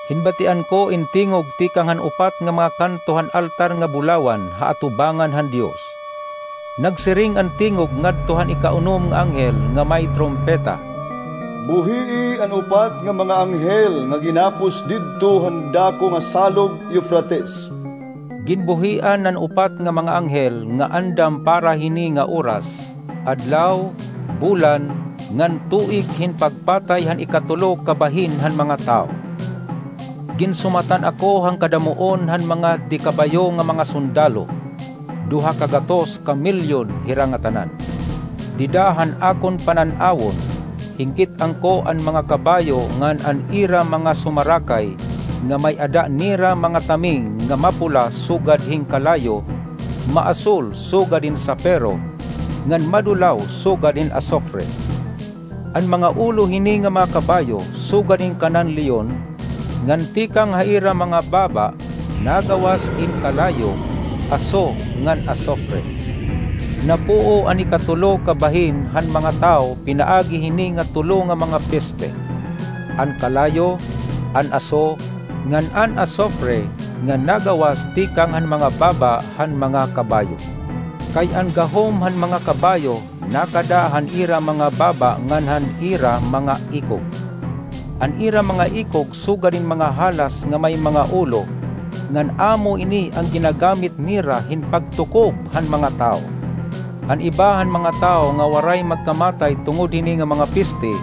Hinbatian ko in tingog tikang han upat nga mga kanto han altar nga bulawan ha atubangan han Dios. Nagsiring an tingog ngadto han ikaunom nga anghel nga may trumpeta, "Buhii an upat nga mga anghel nga ginapos didto han dako nga salog Eufrates." Ginbuhian an upat nga mga anghel nga andam para hini nga oras, adlaw, bulan, ngan tuig hin pagpatay han ikatulo ka bahin han mga tawo. Ginsumatan ako han kadamuon han mga de kabayo nga mga sundalo, duha ka gatos ka milyon hira ngatanan. Dida han akon panan-awon, hinkit-an ko an mga kabayo ngan an ira mga sumarakay, nga may-ada nira mga taming nga mapula sugad hin kalayo, maasul sugad hin sapiro, ngan madulaw sugad hin asufre. An mga ulo hini nga mga kabayo sugad hin kanan leon, ngan tikang ha ira mga baba nagawas in kalayo, aso, ngan asufre. Napuo an ikatulo ka bahin han mga tawo pinaagi hini nga tulo nga mga peste: an kalayo, an aso, ngan an asufre nga nagawas tikang han mga baba han mga kabayo. Kay an gahom han mga kabayo nakada han ira mga baba ngan han ira mga ikog. An ira mga ikog sugad hin mga halas nga may mga ulo, ngan amo ini an ginagamit nira hin pagtukob han mga tawo. An iba han mga tawo nga waray magkamatay tungod hini nga mga peste,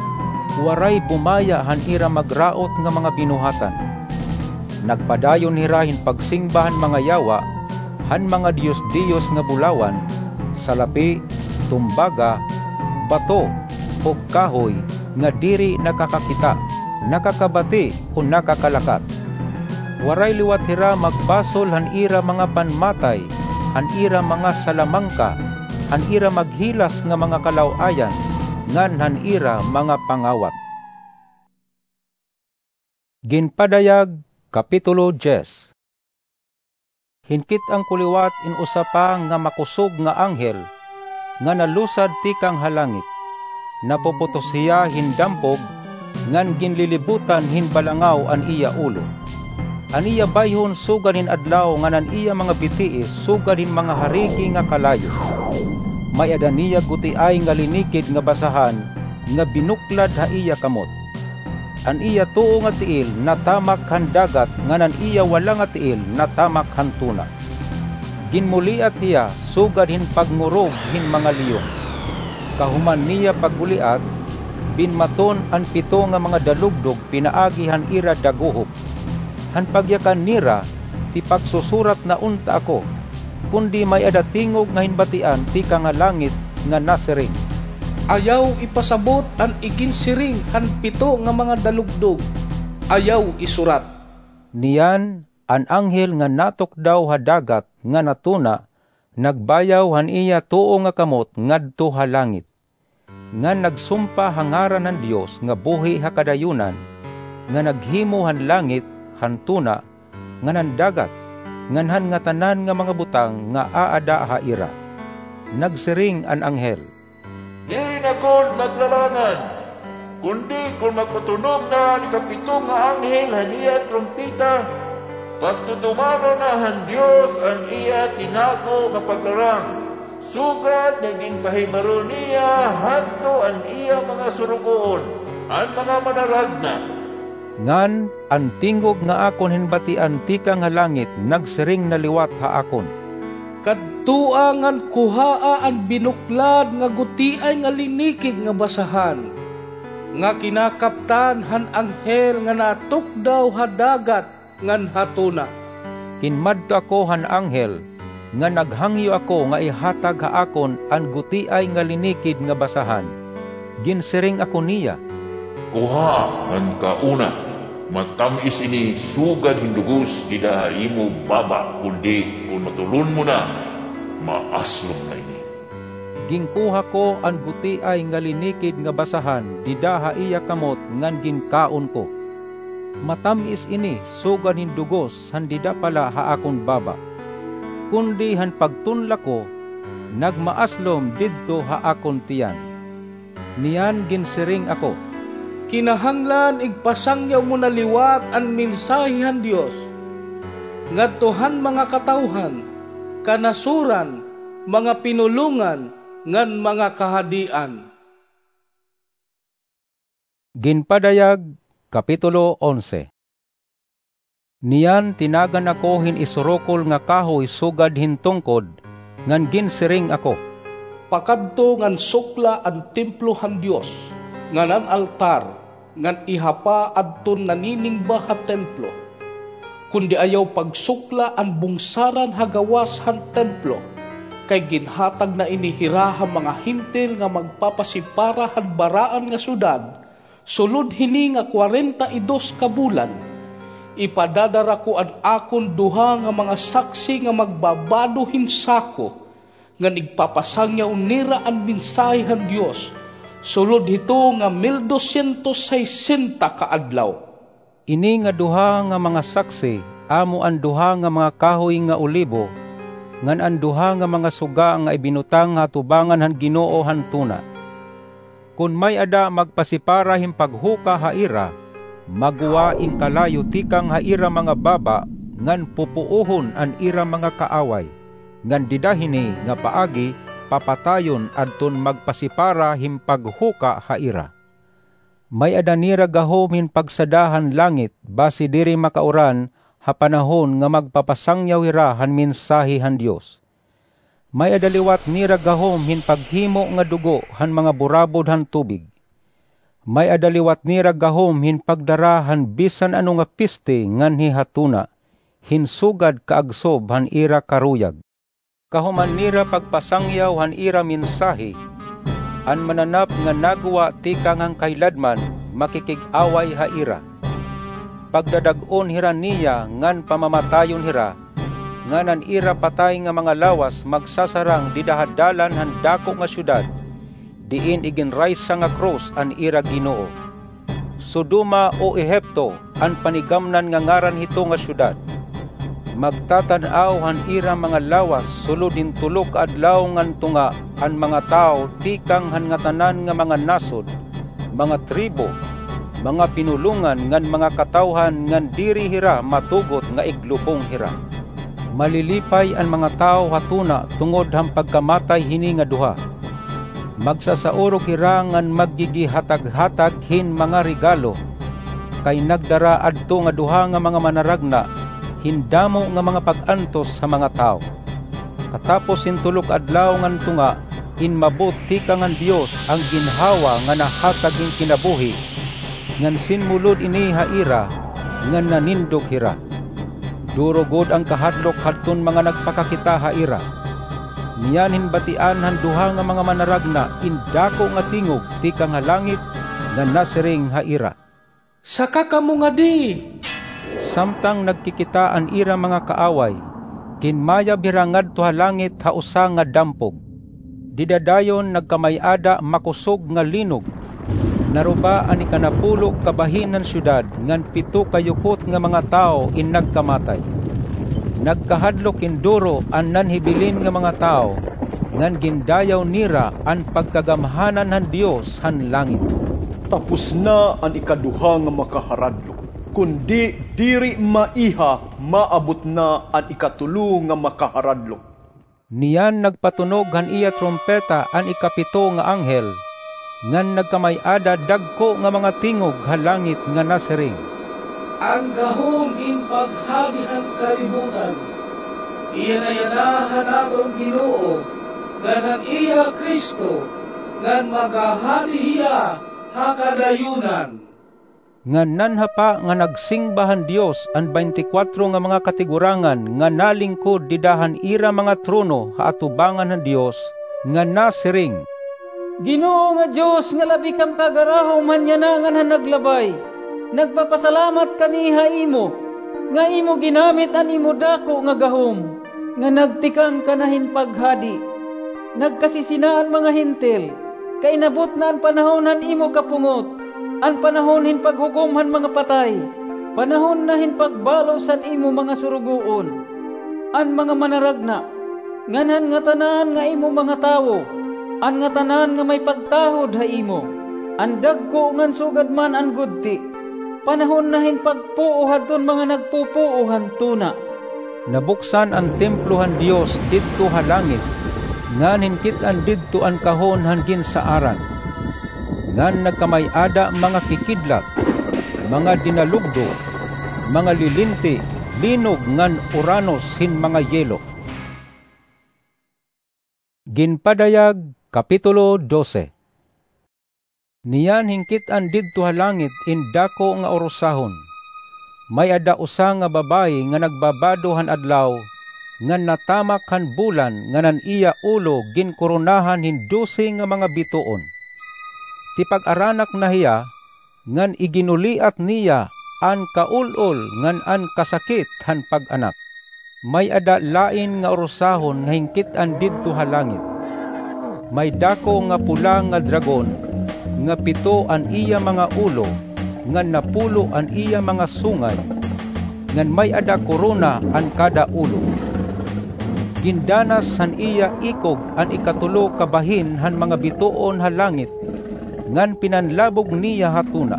waray bumaya han ira magraot nga mga binuhatan. Nagpadayon hira hin pagsingba han mga yawa, han mga diyos-diyos nga bulawan, salapi, tumbaga, bato, ug kahoy nga diri nakakakita, nakakabati, o nakakalakat. Waray liwat hira magbasol han ira mga panmatay, han ira mga salamangka, han ira maghilas nga mga kalaw-ayan, ngan han ira mga pangawat. Ginpadayag, Kapitulo diyes. Hinkit-an ko liwat in usa pa nga makosog nga anghel nga nalusad tikang ha langit. Napuputos hiya hin dampog, ngan ginlilibutan hin balangaw an iya ulo. An iya bayhon sugad hin adlaw ngan an iya mga bitiis sugad hin mga harigi nga kalayo. May-ada niya gutiay nga linikid nga basahan nga binuklad ha iya kamot. An iya tuo nga tiil natamak han dagat ngan an iya wala nga tiil natamak han tuna. Ginmuliat hiya sugad hin pagngurog hin mga leon. Kahuman niya pagguliat, binmaton an pito nga mga dalugdog pinaagi han ira daguhob. Han pagyakan nira, tipaksusurat na unta ako, kundi may-ada tingog nga hinbatian tikang ha langit nga nasiring, "Ayaw ipasabot an iginsiring han pito nga mga dalugdog. Ayaw isurat." Niyan, an anghel nga natukdaw ha dagat nga natuna, nagbayaw han iya tuo nga kamot ngadto ha langit, ngan nagsumpa ha ngaran han Dios nga buhi ha kadayunan, nga naghimo han langit, han tuna, ngan han dagat, ngan han ngatanan nga mga butang nga aada ha ira. Nagsiring an anghel, "Diri na gud maglalangan, kundi kon magpatunog na an ikapito nga anghel han iya trumpeta, pagtutumanon na han Dios an iya tinago nga paglarang, sugad nga ginpahibaro niya hadto an iya mga surugoon, an mga manaragna." Ngan an tingog nga akon hinbatian tikang ha langit nagsiring na liwat ha akon, "Kadtoa ngan kuhaa an binuklad nga gutiay nga linikid nga basahan, nga kinakaptan han anghel nga natukdaw ha dagat ngan ha tuna." Kinmadto ako han anghel, ngan naghangyo ako nga ihatag ha akon an gutiay nga linikid nga basahan. Ginsiring ako niya, "Kuhaa ngan kauna, matam-is ini sugad hin dugos dida ha imo baba, kundi kon matulon mo na, maaslom na ini." Ginkuha ko an gutiay nga linikid nga basahan dida ha iya kamot ngan ginkaon ko. Matam-is ini sugad hin dugos han dida pala ha akon baba. Kundi han pagtunla ko, nagmaaslom didto ha akon tiyan. Niyan ginsiring ako, "Kinahanglan igpasangyaw mo na liwat an mensahe han Dios ngadto han mga katawhan, kanasoran, mga pinulongan, ngan mga kahadian." Ginpadayag, Kapitulo onse. Niyan tinagan ako hin isurukol nga kahoy sugad hin tungkod, ngan ginsiring ako, "Pakadto ngan sukla an templo han Dios, ngan an altar, ngan ihapa adton naniningba ha templo, kundi ayaw pagsukla an bungsaran ha gawas han templo, kay ginhatag na ini hira ha mga Hentil nga magpapasipara han baraan nga syudad, sulod hini nga kwarenta y dos ka bulan. Ipadadara ko an akon duha nga mga saksi nga magbabado hin sako, ngan igpapasangyaw nira an mensahe han Dios, sulod hito nga mil dosyentos saysenta ka adlaw. Ini nga duha nga mga saksi amo an duha nga mga kahoy nga olibo, ngan an duha nga mga suga nga ibinutang ha atubangan han Ginoo han tuna. Kon may-ada magpasipara hin paghuka ha ira, maggwa in kalayo tikang ha ira mga baba ngan pupuohon an ira mga kaaway, ngan dida hini nga paagi papatayon adton magpasipara hin paghuka ha ira. May-ada nira gahom hin pagsada han langit basi diri makauran ha panahon nga magpapasangyaw hira han mensahe han Dios. May-ada liwat nira gahom hin paghimo nga dugo han mga burabod han tubig. May-ada liwat nira gahom hin pagdara han bisan ano nga peste nganhi ha tuna, hin sugad kaagsob han ira karuyag. Kahuman nira pagpasangyaw han ira mensahe, an mananap nga naggwa tikang han kahiladman makikig-away ha ira. Pagdadag-on hira niya ngan pamamatayon hira, ngan an ira patay nga mga lawas magsasarang dida ha dalan han dako nga syudad, diin iginraysa nga krus an ira Ginoo. Sodoma o Ehipto an panigamnan nga ngaran hito nga syudad. Magtatan-aw han ira mga lawas sulod hin tulo ka adlaw ngan tunga an mga tawo tikang han ngatanan nga mga nasod, mga tribo, mga pinulongan ngan mga katawhan ngan diri hira matugot nga iglubong hira. Malilipay an mga tawo ha tuna tungod han pagkamatay hini nga duha. Magsasaurok hira ngan maggigihataghatag hin mga regalo, kay nagdara adto nga duha nga mga manaragna hin damo nga mga pag-antos ha mga tawo. Katapos hin tulo ka adlaw ngan tunga, inmabot tikang han Dios an ginhawa nga nahatag hin kinabuhi, ngan sinmulod ini ha ira, ngan nanindog hira. Duro gud an kahadlok hadton mga nagpakakita ha ira. Niyan hin batian han duha nga mga manaragna in dako nga tingog tikang ha langit nga nasiring ha ira, "Saka kamo ngadi!" Samtang nagkikita an ira mga kaaway, kinmayab hira ngadto ha langit ha usa nga dampog. Dida dayon nagkamay-ada makusog nga linog. Naruba an ikanapulo ka bahin han syudad ngan pito ka yukot nga mga tawo in nagkamatay. Nagkahadlok hin duro an nanhibilin nga mga tawo, ngan gindayaw nira an pagkagamhanan han Dios han langit. Tapos na an ikaduha nga makaharadlok, kundi diri maiha maabot na an ikatulo nga makaharadlok. Niyan nagpatunog han iya trumpeta an ikapito nga anghel, ngan nagkamay-ada dagko nga mga tingog ha langit nga nasiring, "An gahom hin paghadi han kalibutan, iya na yana han aton Ginoo, ngan han iya Cristo, ngan maghahadi hiya ha kadayunan." Ngan nanhapa nga nagsingba han Dios an baynte kwatro nga mga katigurangan nga nalingkod dida han ira mga trono ha atubangan han Dios, nga nasiring, "Ginoo nga Dios nga labi kam kagarahom han yana ngan han naglabay, nagpapasalamat kami ha imo, nga imo ginamit an imo dako nga gahom, nga nagtikang ka na hin paghadi. Nagkasisina an mga Hentil, kay inabot na an panahon han imo kapungot, an panahon hin paghukom han mga patay, panahon na hin pagbalos han imo mga surugoon, an mga manaragna, ngan han ngatanan nga imo mga tawo, an ngatanan nga may pagtahod ha imo, an dagko ngan sugad man an gudti. Panahon na hin pagpuo hadton mga nagpupuo han tuna." Nabuksan an templo han Dios didto ha langit, ngan hinkit-an didto an kahon han ginsaaran. Ngan nagkamay-ada mga kikidlat, mga dinalugdog, mga lilinti, linog ngan uranos hin mga yelo. Ginpadayag, Kapitulo dose. Niyan hinkit-an didto ha langit in dako nga urusahon. May-ada usa nga babayi nga nagbabado han adlaw, ngan natamak han bulan ngan an iya ulo ginkoronahan hin dose nga mga bituon. Tipag-aranak na hiya, ngan iginuliat niya an kaul-ol ngan an kasakit han pag-anak. May-ada lain nga urusahon nga hinkit-an didto ha langit. May dako nga pula nga dragon, nga pito an iya mga ulo, ngan napulo an iya mga sungay, ngan may-ada korona an kada ulo. Gindanas han iya ikog an ikatulo ka bahin han mga bituon ha langit, ngan pinanlabog niya ha tuna.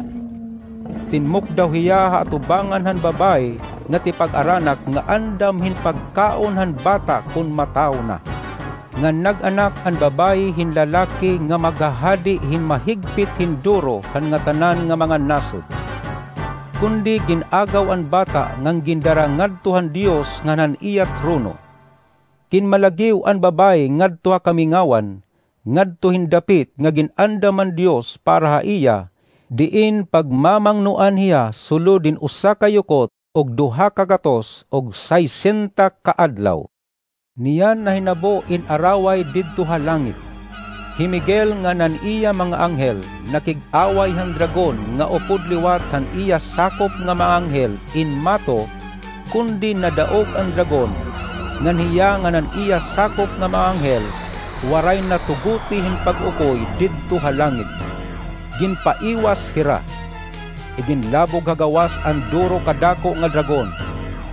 Tinmukdaw hiya ha atubangan han babayi nga tipag-aranak nga andam hin pagkaon han bata kon matawo na. Ngan nag-anak an babayi hin lalaki nga maghahadi hin mahigpit hin duro han ngatanan nga mga nasod. Kundi gin-agaw an bata ngan gindara ngadto han Dios ngan han iya trono. Ginmalagiw an babayi ngadto ha kamingawan, ngadto hin dapit nga gin-andam han Dios para ha iya, diin pagmamangnoan hiya sulod hin usa ka yukot ug duha ka gatos ug saysenta ka adlaw. Niyan nahinabo in araway didto ha langit. Hi Miguel ngan an iya mga anghel nakig-away han dragon nga upod liwat han iya sakop nga mga anghel in mato, kundi nadaog an dragon, ngan hiya ngan an iya sakop nga mga anghel waray na tugoti hin pag-ukoy didto ha langit. Ginpaiwas hira. Iginlabog ha gawas an duro ka dako nga dragon.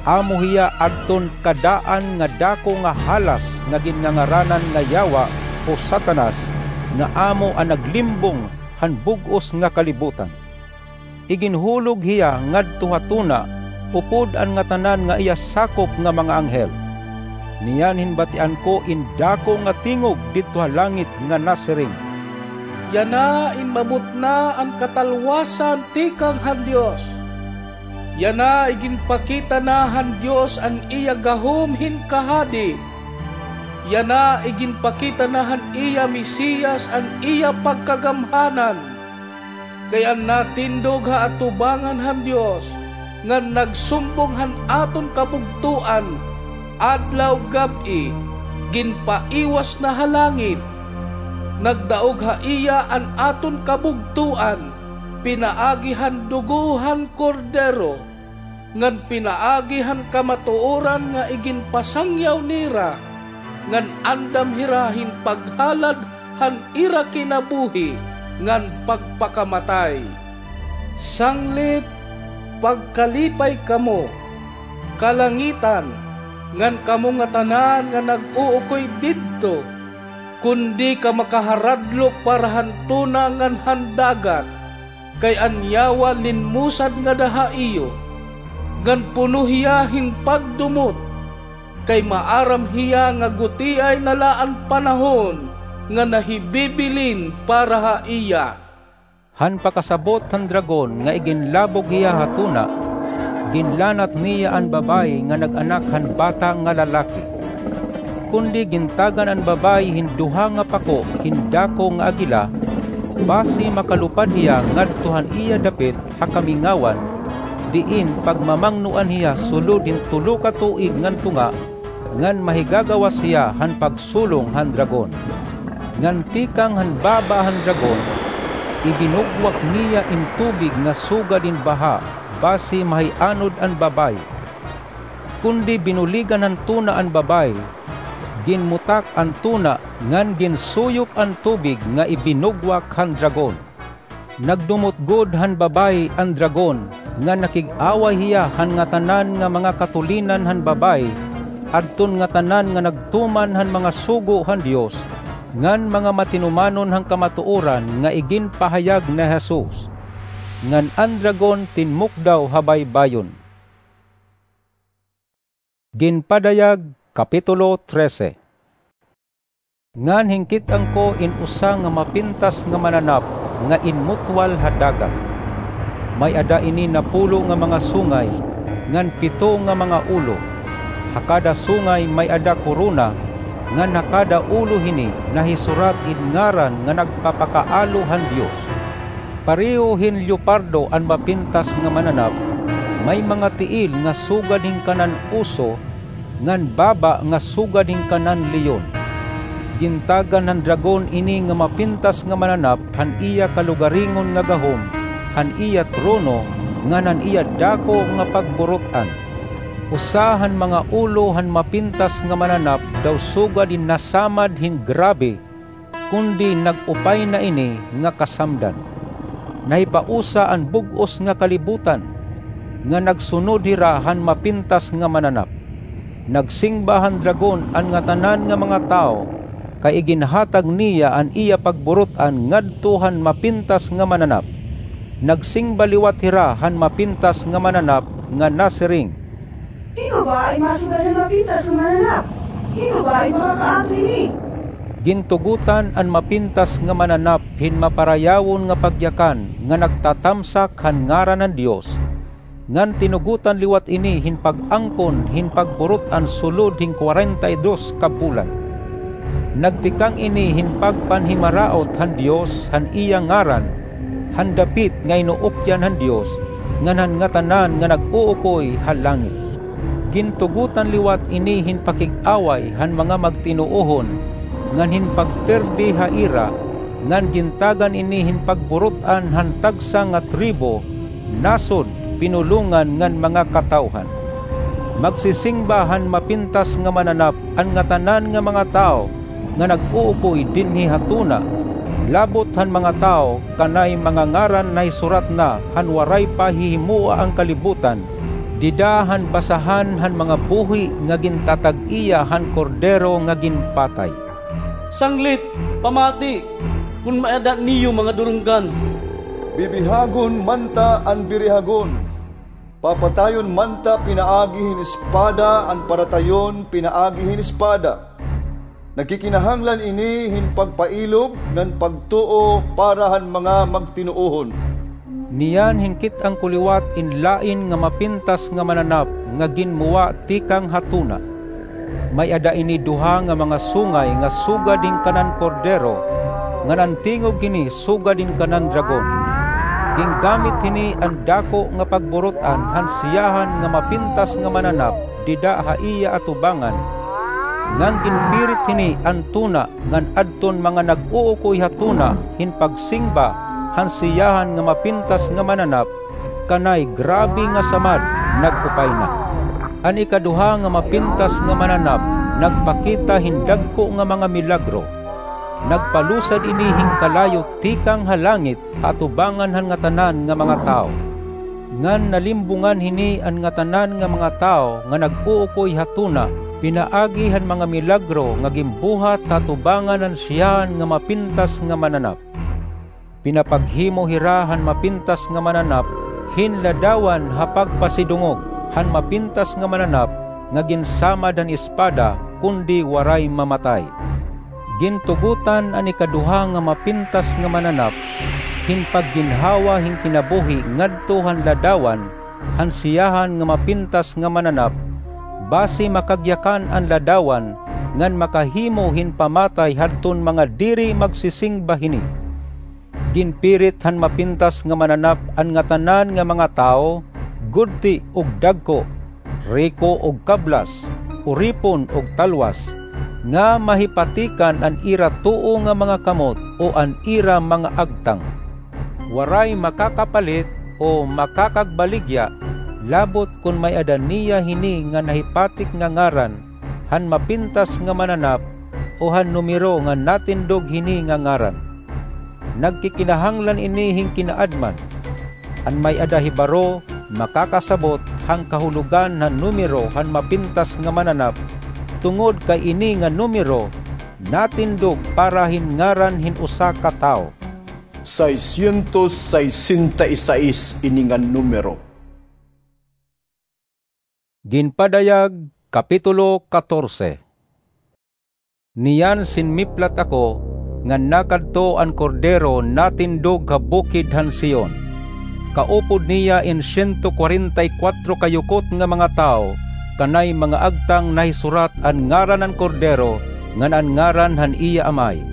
Amo hiya adton kadaan nga dako nga halas nga ginnangaranan nga Yawa o Satanas, nga amo an naglimbong han bug-os nga kalibutan. Iginhulog hiya ngadto ha tuna, upod an ngatanan nga iya sakop nga mga anghel. Niyan hinbatian ko in dako nga tingog didto ha langit nga nasiring, "Yana in mabutnaa an katalwasan tikang han Dios. Yana iginpakita na han Dios an iya gahom hin kahadi. Yana iginpakita na han iya Mesiyas an iya pagkagamhanan. Kay an natindog ha atubangan han Dios ngan nagsumbong han aton kabugtoan adlaw gab-i, ginpaiwas na ha langit. Nagdaog ha iya an aton kabugtoan pinaagi han dugo han Kordero, ngan pinaagi han kamatuoran nga iginpasangyaw nira, ngan andam hira hin paghalad han ira kinabuhi ngan pagpakamatay. Sanglit, pagkalipay kamo, kalangitan, ngan kamo ngatanan nga nag-uukoy didto, kon diri ka makaharadlok para han tuna ngan han dagat, kay an Yawa linmusad ngada ha iyo, ngan puno hiya hin pagdumot, kay maaram hiya nga gutiay na la an panahon nga nahibibilin para ha iya." Han pakasabot han dragon nga iginlabog hiya ha tuna, ginlanat niya an babayi nga nag-anak han bata nga lalaki. Kundi gintagan an babayi hin duha nga pako hin dako nga agila, basi makalupad hiya ngadto han iya dapit ha kamingawan, diin pagmamangnoan hiya sulod hin tulo ka tuig ngan tunga, ngan mahigagawas hiya han pagsulong han dragon. Ngan tikang han baba han dragon, ibinugwak niya in tubig nga sugad hin baha, basi mahianod an babayi. Kundi binuligan han tuna an babayi, ginmutak an tuna ngan ginsuyop an tubig nga ibinugwak han dragon. Nagdumot gud han babayi an dragon, ngan nakig-away hiya han ngatanan nga mga katulinan han babayi, adton ngatanan nga nagtuman han mga sugo han Dios, ngan mga matinumanon han kamatuoran nga iginpahayag ni Jesus. Ngan an dragon tinmukdaw ha baybayon. Ginpadayag, Kapitulo trese. Ngan hinkit-an ko in usa nga mapintas nga mananap nga inmutwal ha dagat. May-ada ini napulo nga mga sungay, ngan pito nga mga ulo. Ha kada sungay may-ada korona, ngan ha kada ulo hini nahisurat in ngaran nga nagpapakaalo han Dios. Pareho hin leopardo an mapintas nga mananap, May mga tiil nga sugad hin kanan oso, ngan baba nga sugad hin kanan leon. Gintagan han dragon ini nga mapintas nga mananap han iya kalugaringon nga gahom, han iya trono, ngan han iya dako nga pagburut-an. Usa han mga ulo han mapintas nga mananap daw sugad hin nasamad hin grabe, kundi nag-upay na ini nga kasamdan. Nahipausa an bug-os nga kalibutan, nga nagsunod hira han mapintas nga mananap. Nagsingba han dragon an ngatanan nga mga tawo, kay iginhatag niya an iya pagburut-an ngadto han mapintas nga mananap. Nagsingba liwat hira han mapintas nga mananap nga nasiring, "Hin-o ba an masugad han mapintas nga mananap? Hin-o ba an makakaabot hini?" Gintugotan an mapintas nga mananap hin maparayawon nga pagyakan nga nagtatamsak han ngaran han Dios, ngan tinugotan liwat ini hin pag-angkon hin pagburut-an sulod hin kwarenta y dos ka bulan. Nagtikang ini hin pagpanhimaraot han Dios han iya ngaran, han dapit nga inuukyan han Dios, ngan han ngatanan nga nag-uukoy ha langit. Gintugotan liwat ini hin pakig-away han mga magtinuohon, ngan hin pagpirdi ha ira, ngan gintagan ini hin pagburut-an han tagsa nga tribo, nasod, pinulongan ngan mga katawhan. Magsisingba han mapintas nga mananap an ngatanan nga mga tawo nga nag-uukoy dinhi ha tuna, labot han mga tawo kanay mga ngaran nahisurat na han waray pa hihimoa an kalibutan, dida han basahan han mga buhi nga gintatag-iya han Kordero nga ginpatay. Sanglit, pamati, kon may-ada niyo mga durunggan. Bibihagon man ta an birihagon. Papatayon man ta pinaagi hin espada an paratayon pinaagi hin espada. Nagkikinahanglan ini hin pagpailob ngan pagtuo para han mga magtinuohon. Niyan hinkit-an ko liwat in lain nga mapintas nga mananap nga ginmuwa tikang ha tuna. May-ada ini duha nga mga sungay nga sugad hin kanan Kordero, ngan an tingog hini sugad hin kanan dragon. Gingamit hini an dako nga pagburut-an han siyahan nga mapintas nga mananap dida ha iya atubangan, ngan ginpirit hini an tuna ngan adton mga nag-uukoy ha tuna hin pagsingba han siyahan nga mapintas nga mananap, kanay grabe nga samad, nag-upay na. An ikaduha nga mapintas nga mananap nagpakita hin dagko nga mga milagro. Nagpalusad ini hin kalayo tikang ha langit ha atubangan han ngatanan nga mga tawo. Ngan nalimbongan hini an ngatanan nga mga tawo nga nag-uukoy ha tuna pinaagi han mga milagro nga ginbuhat ha atubangan han siyahan nga mapintas nga mananap. Pinapaghimo hira han mapintas nga mananap hin ladawan ha pagpasidungog han mapintas nga mananap nga ginsamad han espada, kundi waray mamatay. Gintugotan an ikaduha nga mapintas nga mananap hin pagginhawa hin kinabuhi ngadto han ladawan han siyahan nga mapintas nga mananap, basi makagyakan an ladawan ngan makahimo hin pamatay hadton mga diri magsisingba hini. Ginpirit han mapintas nga mananap an ngatanan nga mga tawo, gudti ug dagko, riko ug kablas, uripon ug talwas, nga mahipatikan an ira tuo nga mga kamot o an ira mga agtang. Waray makakapalit o makakagbaligya, labot kon may-ada niya hini nga nahipatik nga ngaran han mapintas nga mananap o han numero nga natindog hini nga ngaran. Nagkikinahanglan ini hin kinaadman. An may-ada hibaro makakasabot han kahulogan han numero han mapintas nga mananap, tungod kay ini nga numero natindog para hin ngaran hin usa ka tawo. Seiscientos sesenta y seis ini nga numero. Ginpadayag, Kapitulo katorse. Niyan sinmiplat ako, ngan nakadto an Kordero natindog ha bukid han Sion. Kaupod niya in siento kwarenta y kuwatro ka yukot nga mga tawo, kanay mga agtang nahisurat an ngaran han Kordero ngan an ngaran han iya Amay.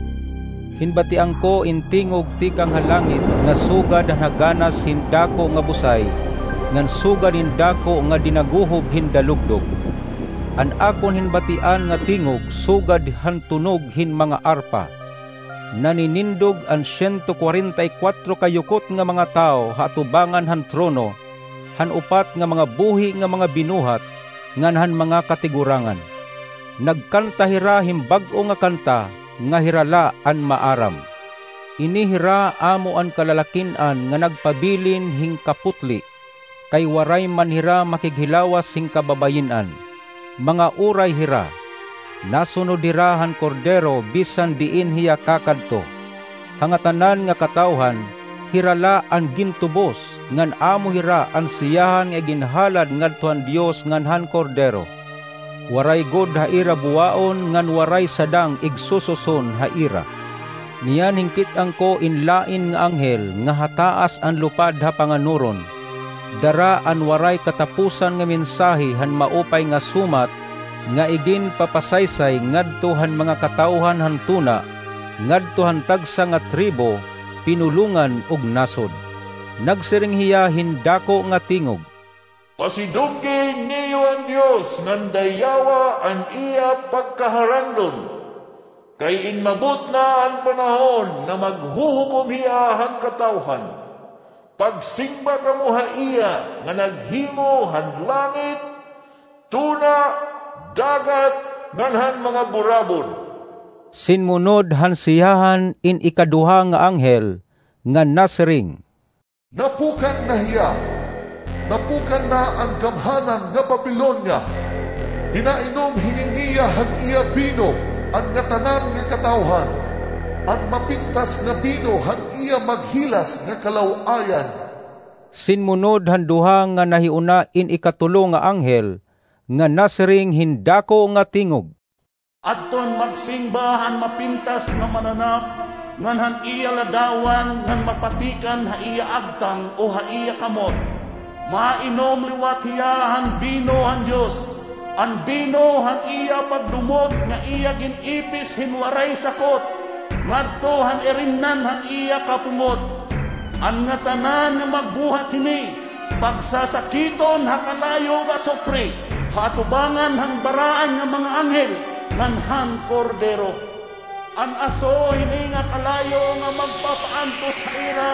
Hinbatian ko in tingog tikang ha langit nga sugad han haganas hin dako nga busay, ngan sugad hin dako nga dinaguhob hin dalugdog. An akon hinbatian nga tingog sugad han tunog hin mga arpa. Naninindog an siyento kwarenta y kwatro ka yukot nga mga tawo ha atubangan han trono, han upat nga mga buhi nga mga binuhat, ngan han mga katigurangan. Nagkanta hira hin bag-o nga kanta nga hira la an maaram. Ini hira amo an kalalakin-an nga nagpabilin hin kaputli, kay waray man hira makighilawas hin kababayin-an. Mga uray hira. Nasunod hira han Kordero bisan diin hiya kakadto. Ha ngatanan nga katawhan, hira la an gintubos, ngan amo hira an siyahan nga iginhalad ngadto han Dios ngan han Kordero. Waray gud ha ira buwaon ngan waray sadang igsususon ha ira. Niyan hinkit-an ko in lain nga anghel nga ha taas an lupad ha panganuron. Dara an waray katapusan nga mensahe han maupay nga sumat nga iginpapasaysay ngadto han mga katawhan han tuna, ngadto han tagsa nga tribo, pinulongan ug nasod. Nagsiring hiya hin dako nga tingog, Pasidunggi niyo an Dios ngan dayawa an iya pagkaharandon, kay inmabot na an panahon nga maghuhukom hiya han katawhan. Pagsingba kamo ha iya nga naghimo han langit, tuna, dagat, ngan han mga burabod. Sinmunod han siyahan in ikaduha nga anghel, nga nasiring, Napukan na hiya! Napukan na an gamhanan nga Babilonia! Pinainom hini niya han iya bino an ngatanan nga katawhan, an mapintas nga bino han iya maghilas nga kalaw-ayan. Sinmunod han duha nga nahiuna in ikatulo nga anghel, nga nasiring hin dako nga tingog, Adton magsingba han mapintas nga mananap, ngan han iya ladawan ngan mapatikan ha iya agtang o ha iya kamot. Mainom liwat hiya han bino han Dios, an bino han iya pagdumot nga iya gin-ipis hin waray sakot, ngadto han irimnan han iya kapungot. An ngatanan nga magbuhat hini, pagsasakiton ha kalayo nga asupre, ha atubangan han baraan nga mga anghel ngan han Kordero. An aso hini nga kalayo nga magpapaantos ha ira,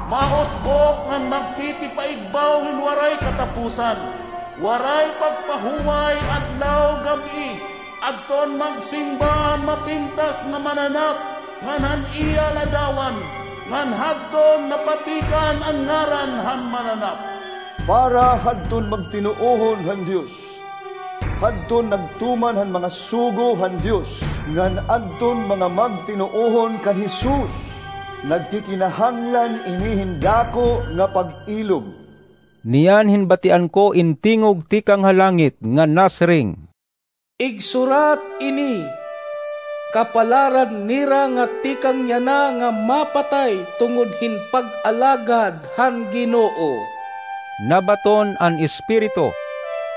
mausbok ngan magtitipaigbaw hin waray katapusan, waray pagpahuway adlaw gab-i. Adton magsingba an mapintas nga mananap ngan han iya ladawan, ngan hadton napatikan an ngaran han mananap. Para hadton magtinuohon han Dios, hadton nagtuman han mga sugo han Dios, ngan adton mga magtinuohon kan Jesus, nagkikinahanglan ini hin dako nga pag-ilog. Niyan hinbatian ko in tingog tikang ha langit nga nasiring, Igsurat ini, kapalaran nira nga tikang yana nga mapatay tungod hin pag-alagad han Ginoo. Nabaton an Espiritu,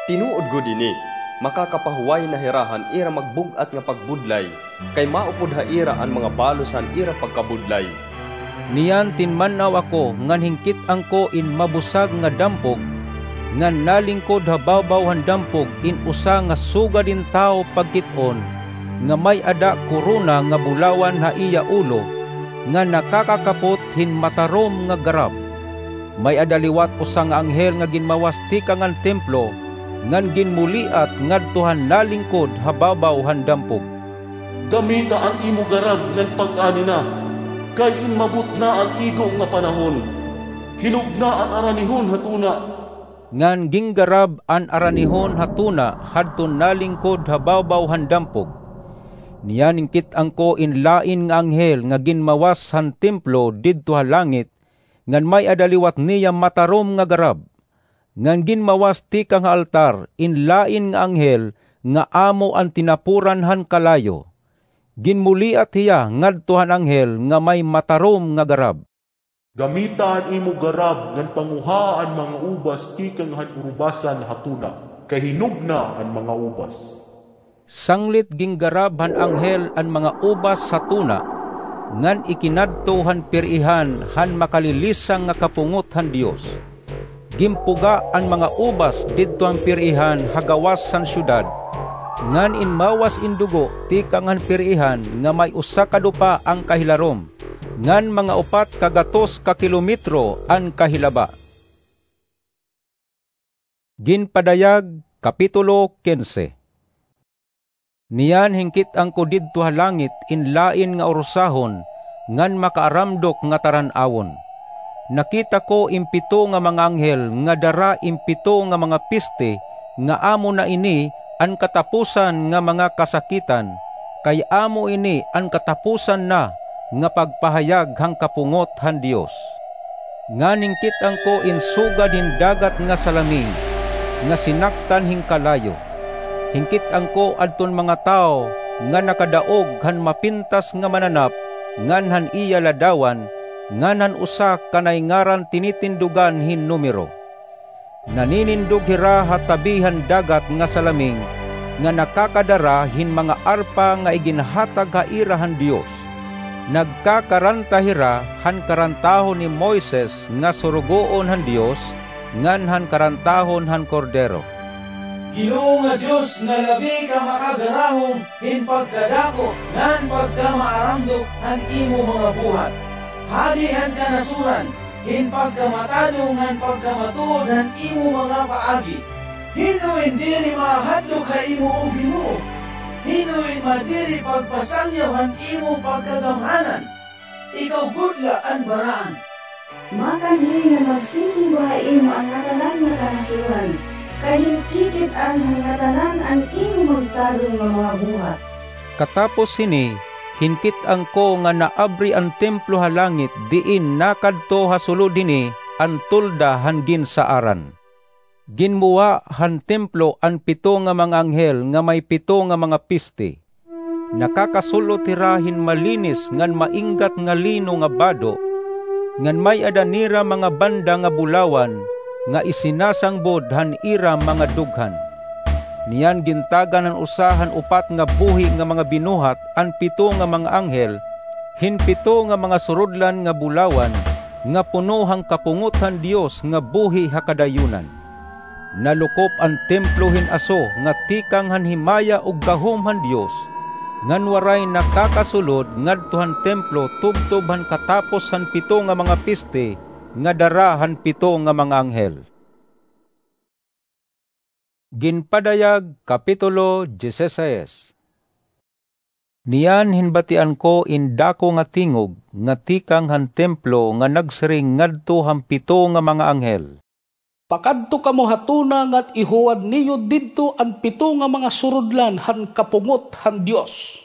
Tinuod gud ini, makakapahuway na hira han ira magbug-at nga pagbudlay, kay maupod ha ira an mga balos han ira pagkabudlay. Niyan tinman-aw ako ngan hinkit-an ko in mabusag nga dampog, ngan nalingkod ha bawbaw han dampog in usa nga sugad hin tawo pagkit-on, nga may-ada korona nga bulawan ha iya ulo, ngan nakakakapot hin matarom nga garab. May-ada liwat usa nga anghel nga ginmawas tikang han templo, ngan ginmuliat ngadto han nalingkod ha bawbaw han dampog. Gamita an imo garab ngan pag-ani na, kay inmabot na an igo nga panahon. Hinog na an aranihon ha tuna. Ngan ginggarab an aranihon ha tuna hadton nalingkod ha bawbaw han dampog. Niyan hinkit-an ko in lain nga anghel nga ginmawas han templo didto ha langit, ngan may-ada liwat niya matarom nga garab. Ngan ginmawas tikang ha altar in lain nga anghel nga amo an tinapuran han kalayo. Ginmuliat hiya ngadto han anghel nga may matarom nga garab. Gamita an imo garab ngan panguhaa an mga ubas tikang han urubasan ha tuna, kay hinog na an mga ubas. Sanglit ginggarab han anghel an mga ubas ha tuna, ngan ikinadto han pir-ihan han makalilisang nga kapungot han Dios. ginpuga an mga ubas didto han piriihan ha gawas han syudad, ngan inmawas in dugo tikang han piriihan nga may usa ka dupa an kahilarom, ngan mga upat ka gatos ka kilometro an kahilaba. Ginpadayag, Kapitulo quince. Niyan hinkit-an ko didto ha langit in lain nga urusahon ngan makaaramdok nga taran-awon. Nakita ko in pito nga mga anghel nga dara in pito nga mga piste, nga amo na ini an katapusan nga mga kasakitan, kay amo ini an katapusan na nga pagpahayag han kapungot han Dios. Ngan hinkit-an ko in sugad hin dagat nga salaming, nga sinaktan hin kalayo. Hinkit-an ko adton mga tawo nga nakadaog han mapintas nga mananap ngan han iya ladawan, ngan han usa ka naay ngaran tinitindugan hin numero. Naninindog hira ha tabi han dagat nga salaming, nga nakakadara hin mga arpa nga iginhatag ha ira han Dios. Nagkakaranta hira han karantahon ni Moises nga surugoon han Dios, ngan han karantahon han Kordero. Ginoo nga Dios nga labi ka makagarahom hin pagkadako ngan pagkamaaramdok han imo mga buhat, hadi han kanasoran, hin pagkamatadong ngan pagkamatuod han imo mga paagi. Hin-o in diri mahadlok ha imo, O Ginoo? Hin-o in madiri pagpasangyaw han imo pagkagamhanan? Ikaw gud la an baraan. Makanhi nga magsisimba ha imo an ngatanan nga kanasoran, kay hinkikit-an han ngatanan an imo magtadong nga mga buhat. Katapos hini, hinkit-an ko nga naabri an templo ha langit, diin nakadto ha sulod hini an tolda han ginsaaran. Ginmuwa han templo an pito nga mga anghel nga may pito nga mga piste. Nakakasul-ot hira hin malinis ngan mainggat nga lino nga bado, ngan may-ada nira mga banda nga bulawan nga isinasangbod han ira mga dughan. Niyan gintagan han usa han upat nga buhi nga mga binuhat an pito nga mga anghel hin pito nga mga surudlan nga bulawan nga puno han kapungot han Dios nga buhi ha kadayunan. Nalukop an templo hin aso nga tikang han himaya ug gahom han Dios, ngan waray nakakasulod ngadto han templo tubtob han katapos han pito nga mga piste nga dara han pito nga mga anghel. Ginpadayag, Kapitulo dieciséis. Niyan hinbatian ko in dako nga tingog nga tikang han templo nga nagsiring ngadto han pito nga mga anghel, "Pakadto kamo ha tuna ngan ihuwad niyo didto an pito nga mga surudlan han kapungot han Dios."